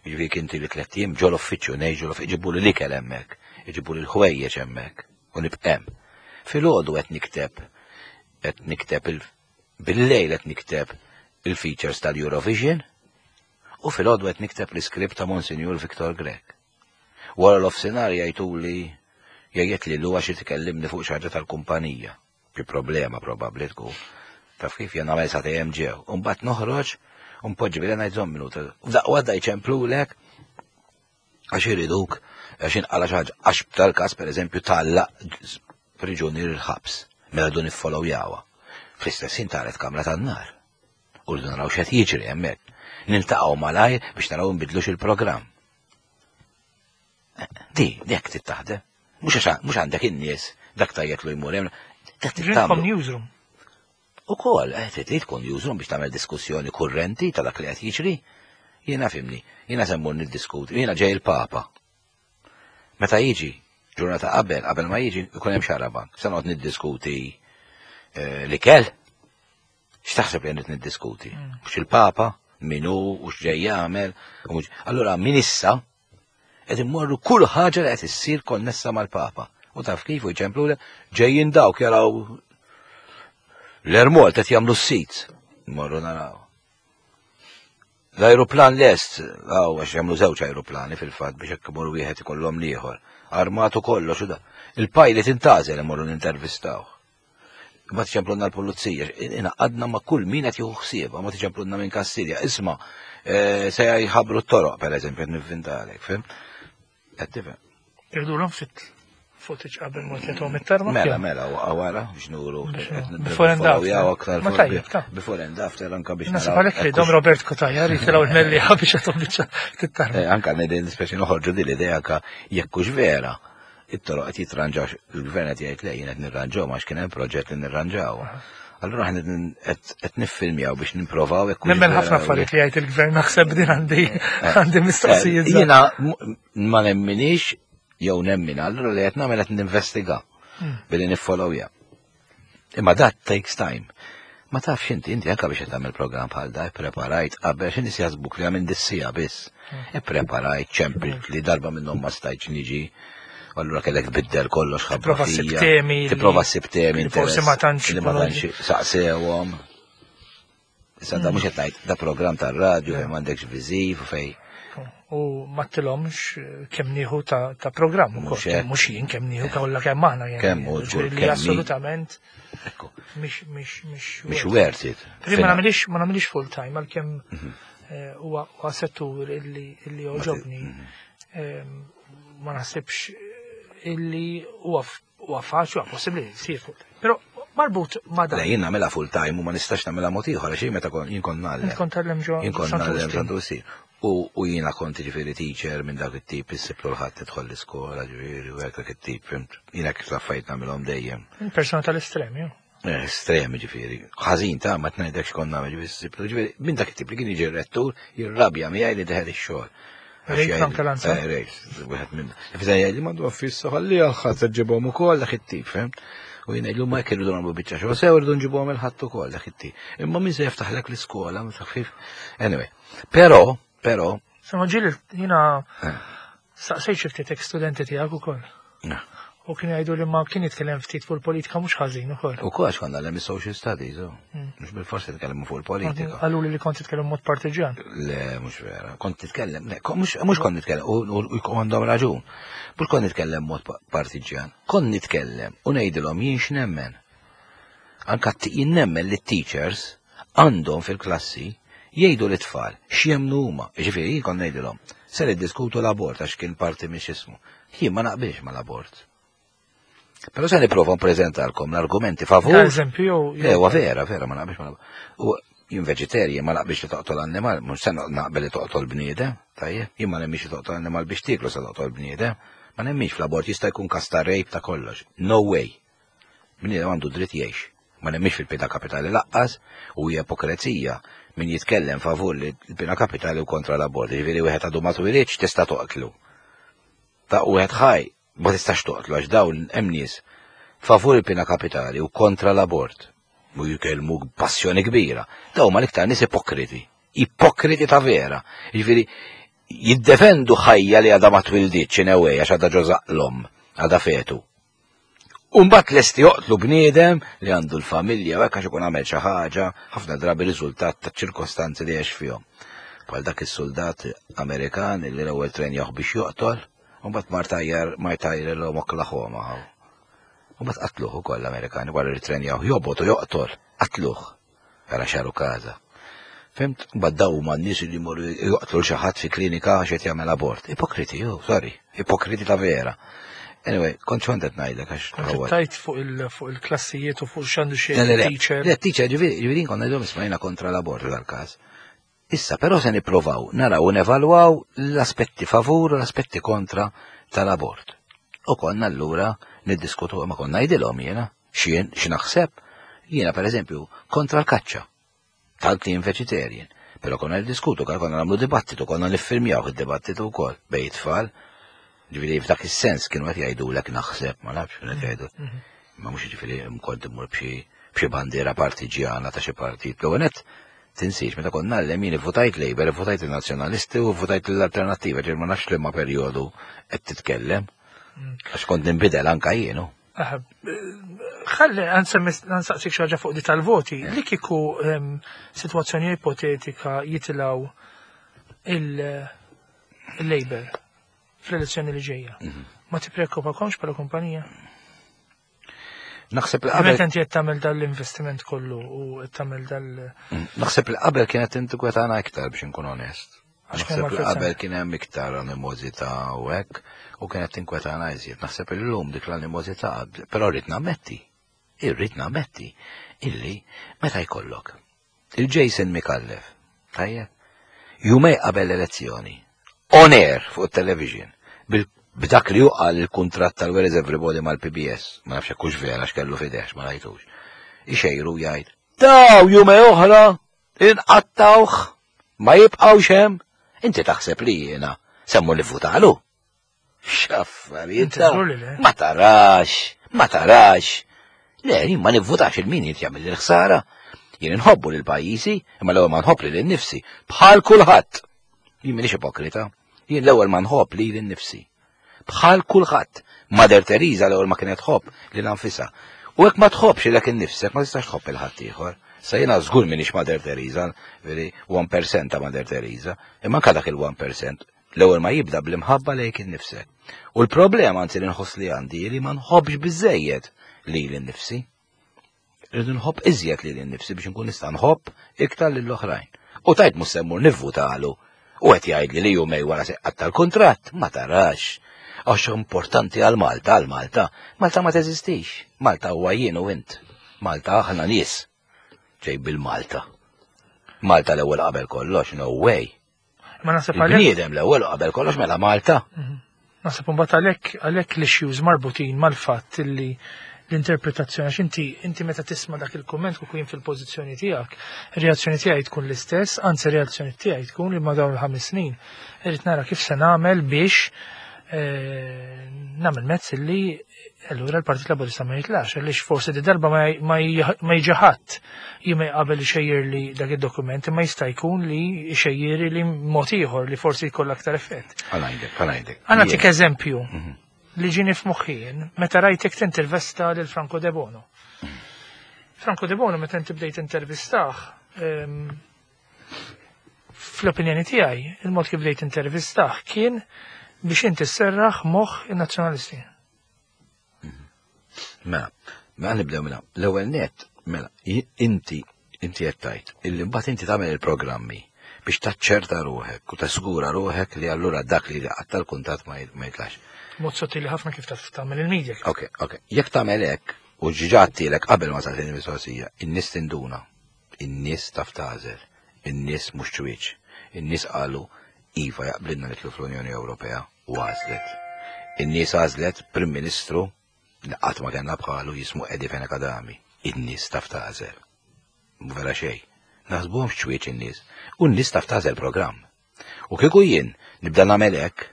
Jiġifieri kien li tliet ijiem ġol uffiċċju ngħix ġol uffiċċju iġibu li l-ikel hemmhekk, iġibu li l-ħwejjeġ hemmhekk u nibqa' hemm. Filgħodu qed nikteb qed nikteb il bil-lejl qed nikteb il-features tal-Eurovision u filgħodu qed nikteb l-iskript ta' Monsignor Victor Grech. Wara l-offsinar jgħiduli jgħid li l għax tikellimni fuq xi ħaġa tal-kumpanija. Xi problema probabbli tkun. Taf kif jien nagħmel sa hemm ġew. U mbagħad noħroġ u npoġġi bilha ngħid żomm minuta. U f'daqqa waħda jċemplulek għax iriduk għax inqala xi ħaġa għax tal-każ pereżempju tgħallaq priġunier il-ħabs mela dun iffollowjawha. Fl-istess ħin taret kamra tan-nar. U rridu naraw x'qed jiġri hemmhekk. Niltaqgħu malajr biex naraw nbidlux il-programm. Di, dik trid taħdem. Mhux għax mhux għandek in-nies dak tajjeb lu jmur hemm. Dak trid Ġinkom tagħmlu. newsroom. Ukoll, eh, trid tkun newsroom biex tagħmel diskussjoni kurrenti ta' dak li qed jiġri. Jiena fimni, jiena se mmur niddiskuti, jiena ġej il-Papa. Meta jiġi, ġurnata qabel, qabel ma jiġi, ikun hemm xarabank. Se noqgħod niddiskuti eh, l-ikel. X'taħseb li qed niddiskuti? Mhux il-Papa, min hu u x'ġej jagħmel. u mhux- Allura min issa qed immorru kull ħaġa li qed issir konnessa mal-Papa. U taf kif u jċemplu ġejjin dawk jaraw l-Ermol qed jagħmlu s-sit. Morru naraw. L-ajruplan lest, għaw għax jagħmlu żewġ ajruplani fil-fatt biex hekk imur wieħed ikollhom l-ieħor. Armatu kollox u da. Il-pilot intażel imorru nintervistaw. Ma tiċemplunna l-pulizija, inaqadna ma' kull min qed jieħu ħsiebha, ma tiċemplunna minn Kastilja. Isma' eh, se jħabru t-toroq pereżempju qed nivvintalek, fim? Qed tifhem. Irdulhom fit footage qabel ma tlethom it-tarma. Mela, mela, wara biex nuru. Before and after. Ma tajjeb, ta' Before and after anka biex Nasib naraw. għalhekk li dom Robert Kotajar jitilgħu l-mellieħa biex jagħtuhom biċċa tit-tarma. Eh, Anka nidin speċi noħorġu din l-idea ka jekk hux vera, it-toroq qed jitranġaw, il-gvern qed jgħid le jien qed nirranġaw għax kien hemm proġett li nirranġaw. Allura aħna qed niffilmjaw biex nipprovaw jekk hux Nemmen vera ħafna jew le. affarijiet li jgħid il-gvern naħseb din għandi għandi mistoqsijiet. Eh, żgħar. Jiena ma nemminix jew nemmin, allura li qed nagħmel qed ninvestiga billi niffollowja. Imma that takes time. Ma tafx inti, inti anka biex qed tagħmel programm bħal da, ippreparajt qabel xi nies jaħsbuk li għamil dissija biss. Ippreparajt, ċempilt li darba minnhom ma stajtx niġi. u Allura kellek tbiddel kollox ħabba Tipprova ssib fija. temi li- Tipprova ssib temi li forsi ma interess- tantx li ma ikunu- tantx saqsewhom. Issa da mhux qed ngħid da programm tar-radju fejn m'għandekx viżiv u fejn U ma tilhomx kemm nieħu ta' ta' programm ukoll, Mhux hekk. kemm mhux jien kemm nieħu kollha kemm aħna jien. Kemm hu żgur, Ġifieri li kemm hi. assolutament ekku, mhix mhix mhix mhix worth it. Prima ma nagħmilix ma nagħmilix full time għalkemm eh, huwa huwa settur illi illi joġobni. Ehm, Ma naħsibx illi huwa f- huwa faċli huwa possibbli li jsir full time. Però marbut ma dan. Le jien nagħmilha full time u ma nistax nagħmilha mod ieħor għax jien meta kon jien kont ngħallem. Int kont tgħallem ġo Jien kont Santu ngħallem Wistin. Santu Wistin. U u jiena kont ġifieri teacher minn dak it-tip issib l ħadd tidħol l-iskola ġifieri u hekk dak it-tip, fimt? Jiena kif l-affarijiet nagħmilhom dejjem. Persona tal-estrem, jew. Eh, Estremi ġifieri. Ħażin ta' ma tngħidekx kont nagħmel ġifieri ssib ġifieri minn dak it-tip li kien jiġi r-rettur jirrabja miegħi li deħel ix-xogħol. Għax Rejt jgħid- Frank Lanza? Eh, rejt, wieħed minn. Fisa jgħid li m'għandu affissa ħalli għal ħadd ġibhom ukoll dak it-tip, fimt? U jien ngħidlu ma jekk irridu nagħmlu biċċa xogħol sew irridu nġibuhom il-ħadd ukoll dak it-tip. Imma min se jiftaħlek l-iskola, ma taf kif. Anyway, però, però, Sama ġieli jiena Eh. staqsejt xi ftit studenti tiegħek ukoll. eh, U kien jgħidu li ma kien jitkellem ftit fuq il-politika mhux ħażin ukoll. u kol għax konna l social studies, u mhux bil-forsi nitkellmu fuq il-politika. Qalu li li kont titkellem mod partiġjan. Le, mhux vera. Kont titkellem, le, mhux mhux kont nitkellem, u u- u għandhom raġun. Mhux kont nitkellem mod partiġjan. Kont nitkellem u ngħidilhom jien x'nemmen. Anka jien nemmen li t-teachers għandhom fil-klassi jgħidu l-tfal x'jemnu huma. Ġifieri jien kont ngħidilhom se niddiskutu l-abort għax kien parti minn x'ismu. Jien ma naqbilx mal-abort. Però se nipprova npreżentalkom l-argumenti favur. Ta' eżempju jew Le, huwa vera, vera, ma naqbilx ma naqbilx. U jien veġetarjan ma naqbilx li toqtol annimal, mhux se naqbel li toqtol bniedem, tajjeb, jien ma nemmix li toqtol annimal biex tieklu se toqtol bniedem, ma nemmix fl-abort jista' jkun każ ta' rape ta' kollox. No way. Bniedem għandu dritt jgħix. Ma nemmix fil-pena kapitali laqqas u hija ipokrezija min jitkellem favur li l-pena kapitali u kontra l-abort. Ġifieri wieħed għadu ma twilidx tista' toqtlu. Ta' wieħed ħaj ma tistax toqtlu għax dawn hemm nies favur il-pena kapitali u kontra l-abort. U jkellmu b'passjoni kbira. Dawn ma l-iktar nies ipokriti. Ipokriti ta' vera. Jiġifieri jiddefendu ħajja li għadha ma twilditx in a way għax għadha ġo żaqlhom, għadha fetu. Umbat lesti joqtlu bniedem li għandu l-familja u hekk għax ikun għamel xi ħaġa, ħafna drabi riżultat ta' ċirkostanzi li għex fihom. Bħal dak is-soldat Amerikan li l-ewwel trenjaw biex joqtol, u mbagħad mar tajjar mar tajjar l Oklahoma. U mbagħad qatluh ukoll l-Amerikani wara li trenjaw jobgħod u joqtol, qatluh. Ara x'għarukaża. Fhimt? Mbagħad daw huma n-nies li jmorru joqtlu xi ħadd fi klinika għax qed jagħmel abort. Ipokriti, oh, sorry, ipokriti ta' vera. Anyway, kont xont qed ngħidlek għax. Kont tajt fuq il-klassijiet u fuq x'għandu xi teacher. Le, teacher, ġifieri konna ngħidhom isma' kontra l-abort dal-każ. Issa però se nipprovaw naraw u nevalwaw l-aspetti favur u l-aspetti kontra tal-abort. U konna allura niddiskutu ma konna ngħidilhom jiena x'jien x'naħseb. Jiena pereżempju kontra l-kaċċa. Tant li jien vegetarian. Però konna niddiskutu, konna nagħmlu dibattitu, konna niffilmjaw id-dibattitu wkoll bejn it-tfal. Ġifieri f'dak is-sens kienu qed jgħidulek naħseb, ma nafx kienu qed jgħidu. Ma mhux ġifieri kont immur b'xi b'xi bandiera partiġjana ta' xi partit. L-ewwel nett tinsiex meta kont ngħallem jien ivvutajt Labour, ivvutajt in-Nazzjonalisti u vvutajt l-Alternattiva, ġifieri ma nafx liema perjodu qed titkellem. Għax kont ninbidel anka jienu. Ħalli nsaqsik xi ħaġa fuq di tal-voti. Li kieku sitwazzjoni ipotetika jitilgħu il-Labour fl-elezzjoni li ġejja. Mhm. Ma tippreokkupakomx bħala kumpanija? Naħseb li qabel. Meta inti qed tagħmel dal-investiment kollu u qed tagħmel dal. Mm, naħseb li qabel kienet tinkwetana iktar biex inkun onest. Naħseb li qabel kien hemm iktar animozità u hekk u kienet tinkwetana iżjed. Naħseb li llum dik l-animozità, però rrid nammetti, irrid nammetti illi meta jkollok Il-Jason Micallef, tajjeb, jumej qabel l-elezzjoni, on air fuq it-television, b'dak li juqal il-kuntratt tal-Where is Everybody mal-PBS, ma nafx hekk hux vera x'kellu f'idejh ma rajtux. Ixejru jgħid, daw jumej oħra inqattawh ma jibqgħux hemm. Inti taħseb li jiena semmu nivvutalu. X'affarijiet. Ma tarax, ma tarax. Le, jien ma nivvutax il-min jrid jagħmel il-ħsara. Jien inħobbu lil pajjiżi, imma l-ewwel ma nħobb lil innifsi, bħal kulħadd. Jien m'iniex ipokrita. Jien l-ewwel ma nħobb lil innifsi. Bħal kulħadd. Mother Teresa l-ewwel ma kienet tħobb lil anfisha. U hekk ma tħobbx lilek innifsek ma tistax tħobb il ħadd ieħor. Sa jiena żgur m'iniex Mother Teresa, veri 1% ta' Mother Teresa, imma anke dak il-1% L-ewwel ma jibda bl-imħabba lejk innifsek. U l-problema anzi li nħoss li għandi li ma nħobbx biżejjed lili nnifsi. Rridu nħobb iżjed lili nnifsi biex nkun nista' nħobb iktar lill oħrajn. U tajt mhux se mmur nivvutalu u qed jgħidli li jumej wara se tal-kuntratt, ma tarax. Għax importanti għal Malta, għal Malta. Malta ma teżistix. Malta huwa jien u int. Malta aħna nies. Ġej bil-Malta. Malta l-ewwel qabel kollox, no way. Ma naħseb għalhekk. Bniedem l-ewwel qabel kollox mela Malta. Mhm. Naħseb imbagħad għalhekk għalhekk l-issues marbutin mal-fatt li l-interpretazzjoni għax inti inti meta tisma' dak il-kumment kieku jien fil-pożizzjoni tiegħek, ir-reazzjoni tiegħi tkun l-istess, anzi reazzjoni tiegħi tkun li ma dawn il-ħames snin irrid nara kif se nagħmel biex eh, nagħmel mezz li Allura l-Partit Laburista ma jitlax, għaliex forsi di darba ma jiġi ħadd jimej qabel ixejjer li dak id-dokument, imma jista' jkun li xejjeri li mod ieħor li forsi jkollha aktar effett. Għalajdek, għalajdek. Għana tik eżempju mhm. li ġini f'moħħien meta rajtek tintervista lil Franco De Bono. Mhm. Franco De Bono meta inti bdejt intervistah, ehm, fl-opinjoni tiegħi, il-mod kif bdejt intervistah kien biex inti sserraħ moħħ in-nazzjonalisti. Mela, mela nibdew mela. L-ewwel net, mela, inti inti qed tgħid illi mbagħad inti tagħmel il-programmi biex taċċerta ruħek u tasgura ruħek li allura dak li qatta l-kuntatt ma jitlax. Mod sottili ħafna kif taf tagħmel il-media. Ok, ok. Jekk tagħmel hekk u ġiġa għattilek qabel ma tagħtini mistoqsija, in-nies tinduna. In-nies taf tagħżel. In-nies mhux ċwieċ. In-nies qalu iva jaqblilna nidħlu fl-Unjoni Ewropea u għażlet. In-nies għażlet Prim Ministru li qatt ma kellna bħalu jismu Eddie Fenech Adami. In-nies taf tagħżel. Mhu vera xejn. Naħsbuhomx ċwieċ in-nies. U n-nies taf tagħżel programm. U kieku jien nibda nagħmel hekk,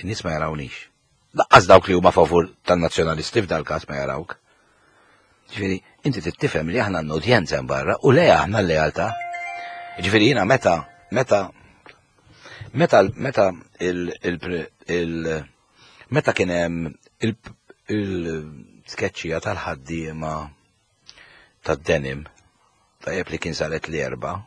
in-nies ma jarawnix. Laqqas dawk li huma favur tan-nazzjonalisti f'dal-każ ma jarawk. Ġifieri, inti trid tifhem li aħna għandna udjenza hemm barra u le aħna l-lealtà. Ġifieri jiena meta meta meta meta il il meta kien hemm il-tkeċċija tal-ħaddiema tad-denim tajjeb li kien saret l-erba'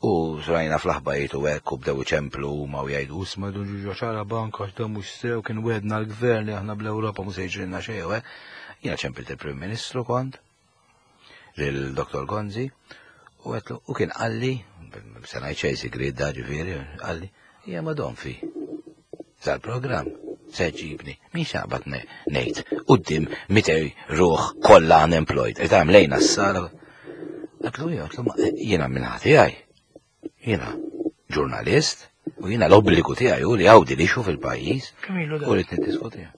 U rajna fl-aħbarijiet u hekk u bdew iċemplu huma u jgħidu isma' dun ġuġo ċara bank għax dan mhux sew kien wedna l-gvern li aħna bl-Ewropa mhux se jiġrilna xejn u hekk. Jiena ċempilt il-Prim Ministru kont lil Dr. Gonzi. U għetlu, u kien qalli, se ngħid xejn sigriet da ġifieri, qalli, hija ma fi. Sal-programm, se ġibni, min xaqbad ngħid, quddiem 200 ruħ kollha unemployed, qed lejna s-sala. Għetlu, għetlu, jiena minn ħati għaj. Jiena ġurnalist u jiena l-obbligu tiegħi hu li għawdi li fil-pajjiż u rrid niddiskutiha.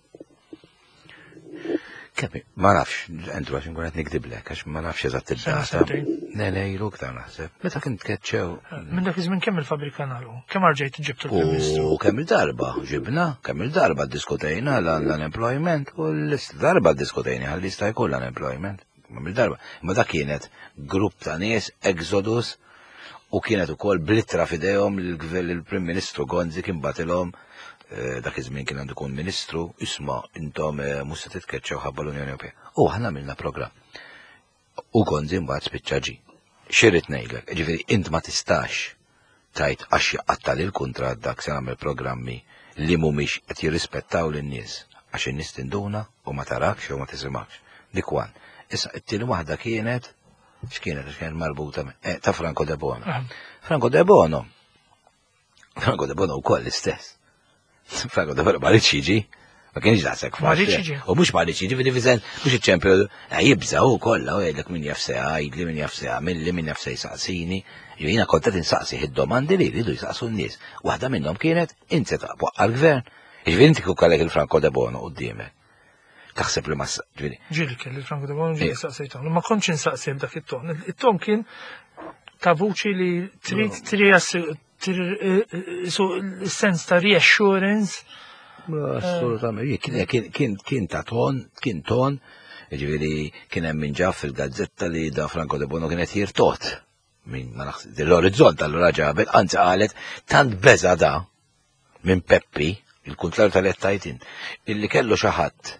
Kemm ma nafx, Andrew, għax nkun qed nikdiblek, għax ma nafx eżatt id-data. Le, le, ilu iktar naħseb. Meta kien tkeċċew. Minn dak iż-żmien kemm il-fabrika nagħlqu? Kemm arġejt ġibtu l-Prim Ministru? U kemm il-darba ġibna, kemm il-darba ddiskutejna l-unemployment u l-darba ddiskutejna għal jista' jkun l-unemployment. Kemm il-darba. Imma dak kienet grupp ta' nies, exodus, u kienet ukoll blittra f'idejhom l-Prim Ministru Gonzi kien batilhom eh, dak iż-żmien kien għandu jkun ministru, isma' intom eh, mhux se titkeċċew ħabba l-Unjoni Ewropea. U aħna għamilna programm. U Gonzi mbagħad spiċċa ġi. Xirrid ngħidlek, ġifieri int ma tistax tajt għax jaqatta lil kuntratt dak se nagħmel programmi li mhumiex qed jirrispettaw lin-nies għax in-nies tinduna u ma tarakx jew ma tisimgħekx. Dik one. Issa it-tieni waħda kienet x'kienet għax kienet marbuta eh, ta' Franco De Bono. Franco De Bono. Franco De Bono wkoll l-istess. Franco De Bono ma rridx jiġi. Ma kienx daqshekk faċli. U mhux ma rridx jiġi, ġifieri mhux iċ-ċempju eh, jibża' hu kollha u jgħidlek min jaf se jgħidli, min jaf se jagħmilli, min jaf se jsaqsini. Jiena kont qed insaqsi id-domandi li jridu jsaqsu n-nies. Waħda minnhom kienet int se taqbaq għall-gvern. Jiġifieri inti kieku kellek il-Franco De Bono quddiemek. Taħseb li ma ġifieri. Ġieli kelli Franco De Bono ġieli eh. saqsejthom. Ma kontx insaqsi b'dak it-ton. It-ton kien ta' vuċi li trid trid eh, sens ta' reassurance. Assolutament, kien ta' ton, kien ton, ġifieri kien hemm min ġaf fil-gazzetta li da Franco De Bono kien qed jirtot minn ma naħseb l-orizzont allura ġabet, anzi qalet tant beża da minn Peppi, il-kuntlar tal-qed int, illi kellu xi ħadd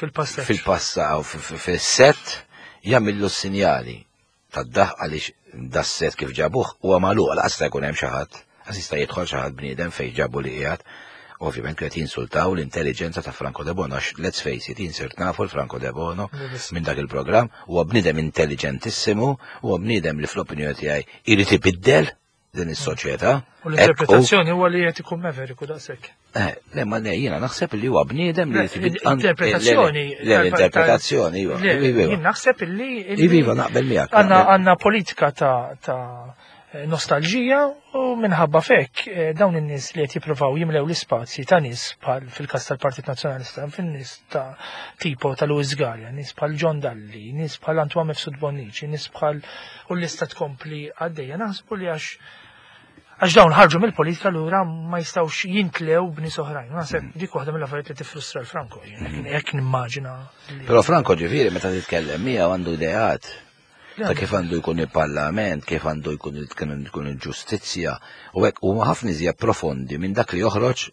fil-passa fil-passa u fis-set jagħmillu s-sinjali tad-daħ għaliex das-set kif ġabuh huwa magħluq laqas jista' jkun hemm xi ħadd, għas jista' jidħol xi ħadd bniedem fejn ġabu li qiegħed. Ovvjament qed jinsultaw l-intelligenza ta' Franco De Bono, għax let's face it, insirt nafu l-Franco De Bono minn dak il-programm, huwa bniedem intelligentissimu, huwa bniedem li fl-opinjoni tiegħi irid ibiddel din is-soċjetà. U l-interpretazzjoni huwa li qed ikun meveriku daqshekk. Eh, le, ma le, jiena naħseb li huwa bniedem li Interpretazzjoni. Le, l-interpretazzjoni, iva. Jien naħseb li. Iva, iva, naqbel miegħek. Għandna politika ta' nostalġija u minħabba fekk eh, dawn in-nies li qed jippruvaw jimlew l-ispazji ta' nies bħal fil-każ tal-Partit Nazzjonalista, fin-nies ta' tipo ta' Louis Galea, nies bħal John Dalli, nies bħal Antoine Mifsud Bonnici, nies bħal u l-lista tkompli għaddejja. Naħsbu li għax għax dawn ħarġu mill-politika lura ma jistgħux jintlew b'nies oħrajn. Naħseb mm. dik waħda mill-affarijiet li tifrustra l-Franco, mm. jekk nimmaġina. Però Franco ġifieri meta titkellem miegħu għandu ideat ta' kif għandu jkun il-parlament, kif għandu jkun il-ġustizzja, u hekk huma ħafna iżjed profondi minn dak li joħroġ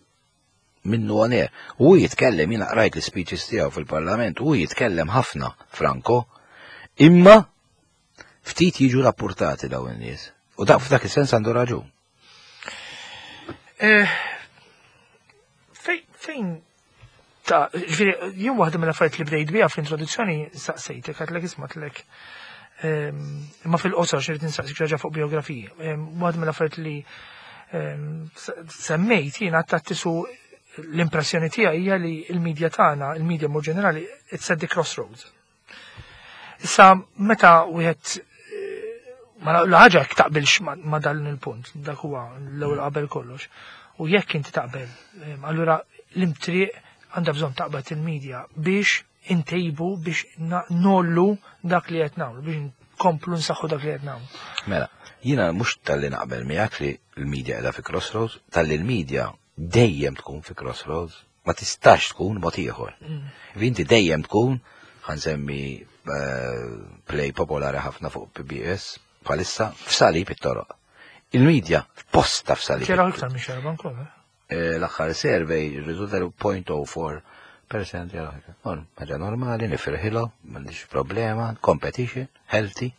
minnu on air. U jitkellem, jiena qrajt l-speeches tiegħu fil-parlament, u jitkellem ħafna Franco, imma ftit jiġu rapportati dawn in-nies. U dak f'dak is-sens għandu raġun. Eh, fejn ta' ġifieri jien waħda mill-affarijiet li bdejt biha fl-introduzzjoni saqsejtek għadlek ismatlek ehm, imma fil-qosor xirrid insaqsik ġaġa fuq biografiji. Ehm, waħda mill-affarijiet li ehm, semmejt jien għattattisu l-impressjoni tiegħi hija li l-medja tagħna, il-medja mod ġenerali, it's at the crossroads. Issa meta wieħed eh, ma l-ħaġa jekk taqbilx ma dan il-punt, dak huwa l-ewwel qabel kollox. U jekk inti taqbel, eh, allura l-imtriq għandha bżonn taqbad il-medja biex intejbu biex nollu dak li qed nagħmlu biex nkomplu nsaħħu dak li qed nagħmlu. Mela, jiena mhux tal-li naqbel miegħek li l-media qiegħda fi crossroads, tal-li l-media dejjem tkun fi crossroads, ma tistax tkun mod ieħor. Mm. Inti dejjem tkun, ħansemmi eh, play popolari ħafna fuq PBS, bħalissa, f'salib it-toroq. Il-medja posta f'salib. Kera iktar minn xerban kol, eh? eh, L-aħħar survey riżulta 0.04 percent ħaġa normali, nifirħilo, m'għandix problema, competition, healthy.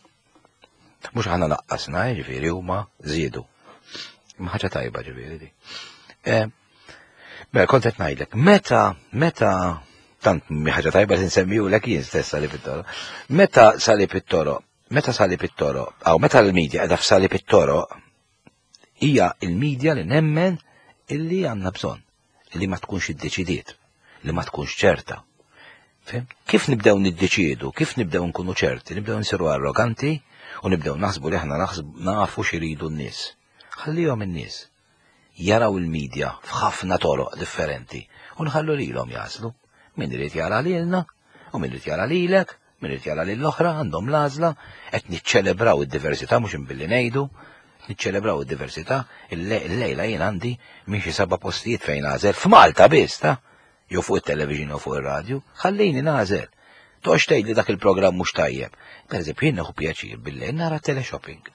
Mhux aħna naqqasna, ġifieri huma żiedu. Ma ħaġa tajba ġifieri di. Eh, mela kont qed ngħidlek, meta meta tant mi ħaġa tajba li nsemmiju lek jien stess salib it-toro. Meta salib it-toro, Meta salib it-toroq, aw meta l-medja qiegħda f'salib it-toroq, hija l-medja li nemmen illi għandna bżonn, li ma tkunx iddeċidiet, li ma tkunx ċerta. Fim? Kif nibdew niddeċiedu, kif nibdew nkunu ċerti, nibdew nsiru arroganti u nibdew naħsbu li aħna nafu x'iridu n-nies. Ħallihom in-nies jaraw il-medja f'ħafna toroq differenti u nħallu lilhom jagħżlu. Min irid jara lilna u min irid jara lilek, min irid jara lil oħra għandhom l-għażla, qed niċċelebraw id-diversità mhux imbilli ngħidu, niċċelebraw id-diversità, il-lejla jien għandi minn xi seba' postijiet fejn għażel f'Malta biss ta' jew fuq it-television jew fuq ir-radju, ħallini nagħżel. Toqgħodx tgħid li dak il-programm mhux tajjeb. Pereżempju jien nieħu pjaċir billejl nara teleshopping.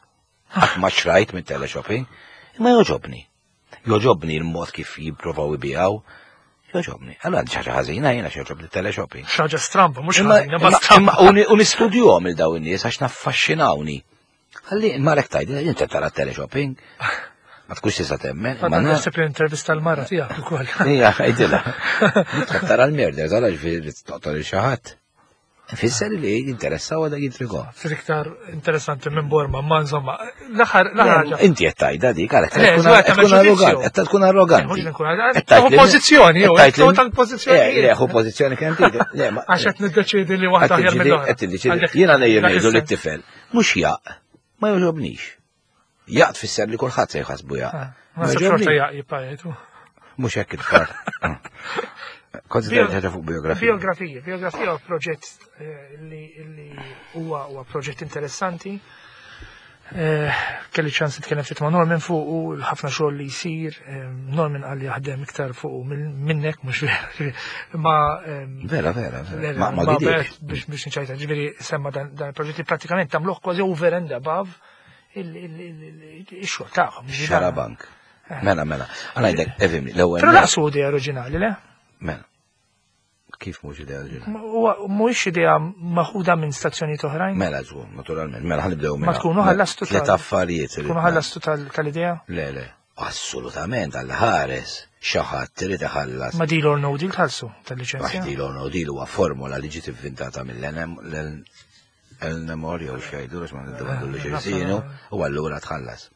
Qatt ma xrajt mit teleshopping, imma jogħġobni. Jogħġobni l-mod kif jipprovaw ibijaw, jogħġobni. Allora għandi ħaġa ħażina jiena xi teleshopping. Xaġa stramba, mhux ħażina, ma stramba. U nistudjuhom il daw in-nies għax naffaxxinawni. Ħalli marek tajd, inti tara teleshopping. Ma tkunx tista' temmen. Ma naħseb li intervista l-mara tiegħek ukoll. Ija, għidilha. Tara l-murder, tara ġifieri toqtol il xi ħadd. Fisser li jinteressaw għadha jintrigo. Fir iktar interessanti minn Borma, ma insomma, l-aħħar l-aħħar. Inti qed tgħidha dik għalhekk tkun arroganti, qed tkun arroganti. Pożizzjoni, jew tal-pożizzjoni. Eh, le, hu pożizzjoni kemm trid. Le, għax qed niddeċiedi li waħda aħjar mill-oħra. Qed tiddeċiedi. Jiena ngħid ngħidu lit-tifel, mhux jaq, ma jogħġobnix. Jaq tfisser li kulħadd se jħasbu jaq. Ah, ma xorta jaq jibqa' jgħidu. Mhux hekk it-tfal. Ah. Kont ħaġa fuq biografija. Biografija, biografija huwa proġett eh, li huwa proġett interessanti. Eh, kelli ċans nitkellem ftit ma' Norman fuq u ħafna xogħol li jsir. Eh, Norman qal li jaħdem iktar fuq minnek mhux vera. Ma vera, vera, vera. Ma biex biex nċajta, ġifieri semma dan il-proġett li pratikament tagħmluh kważi over and above il-xogħol tagħhom. Xarabank. Eh. Mela, mela. Għanajdek, evimni, l-ewwel. Però laqsu idea oriġinali, le? Mela. Kif mhux idea oriġinali? Mhuwiex idea maħuda minn stazzjonijiet oħrajn? Mela żgur, naturalment. Mela ħanibdew minn. Ma tkunu mela, ħallastu tliet affarijiet. Tkunu ħallastu tal-idea? Le, le. Assolutament, għal ħares, xi ħadd irid iħallas. Ma deal or no deal tħallsu tal-liċenzja? Ma deal or no deal huwa formula li ġiet inventata mill-NM El-Nemor jew xejdu għax ma niddependu li xejsinu u allura tħallas.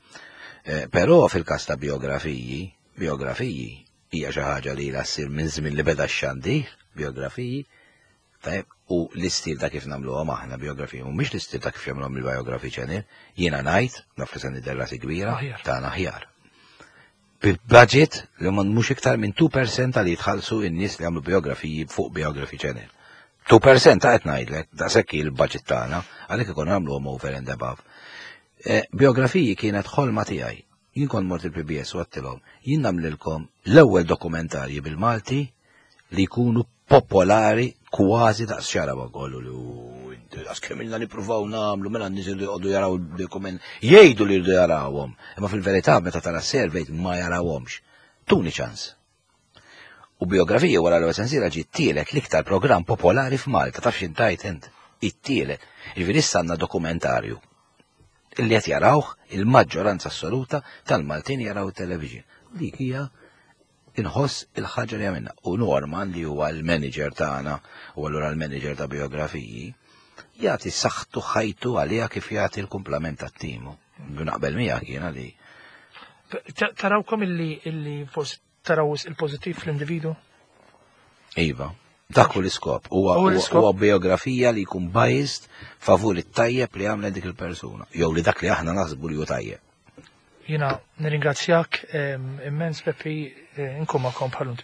Eh, però fil-każ ta' biografiji, biografiji hija xi ħaġa li ilha ssir minn żmien li beda x-xandir, biografiji, tajb, u l-istil ta' kif nagħmluhom aħna biografiji, mhumiex l-istil ta' kif jagħmluhom il-biography channel, jiena ngħid, naf li se nidher rasi kbira, tagħna aħjar. Bi-budget li ma mhux iktar minn 2% tal jitħallsu in-nies li jagħmlu biografiji fuq Biography Channel. 2% ta' qed ngħidlek, daqshekk il-budget tagħna, għalhekk ikun nagħmluhom over and above. Eh, biografiji kienet ħolma tiegħi. Jien kont mort il-PBS u għattilhom, jien nagħmlilkom l-ewwel dokumentarji bil-Malti li jkunu popolari kważi daqs xara ma kollu li daqs kemm ilna nippruvaw nagħmlu mela n-nies li jqogħdu jaraw dokument jgħidu li jridu jarawhom, imma fil-verità meta tara survey ma jarawhomx. Tuni ċans. U biografija wara l-ewwel sensiela ġiet tielet l-iktar programm popolari f'Malta, taf x'intajt int? It-tielet. Jiġifieri issa għandna dokumentarju illi qed jarawh il-maġġoranza assoluta tal-Maltin jaraw it-television. Dik hija inħoss il-ħaġa li għamilna. U Norman li huwa l-manager tagħna u allura l-manager ta' biografiji, jagħti saħħtu ħajtu għaliha kif jagħti l-kumplament tat-timu. Naqbel miegħek jiena li. Tarawkom illi illi forsi taraw il-pożittiv fl-individu? Iva. Dak hu l-iskop. Huwa biografija li jkun biased favur it-tajjeb li għamlet dik il-persuna. Jew li dak li aħna naħsbu li hu tajjeb. Jina nirringrazzjak immens Peppi eh, nkun magħkom bħal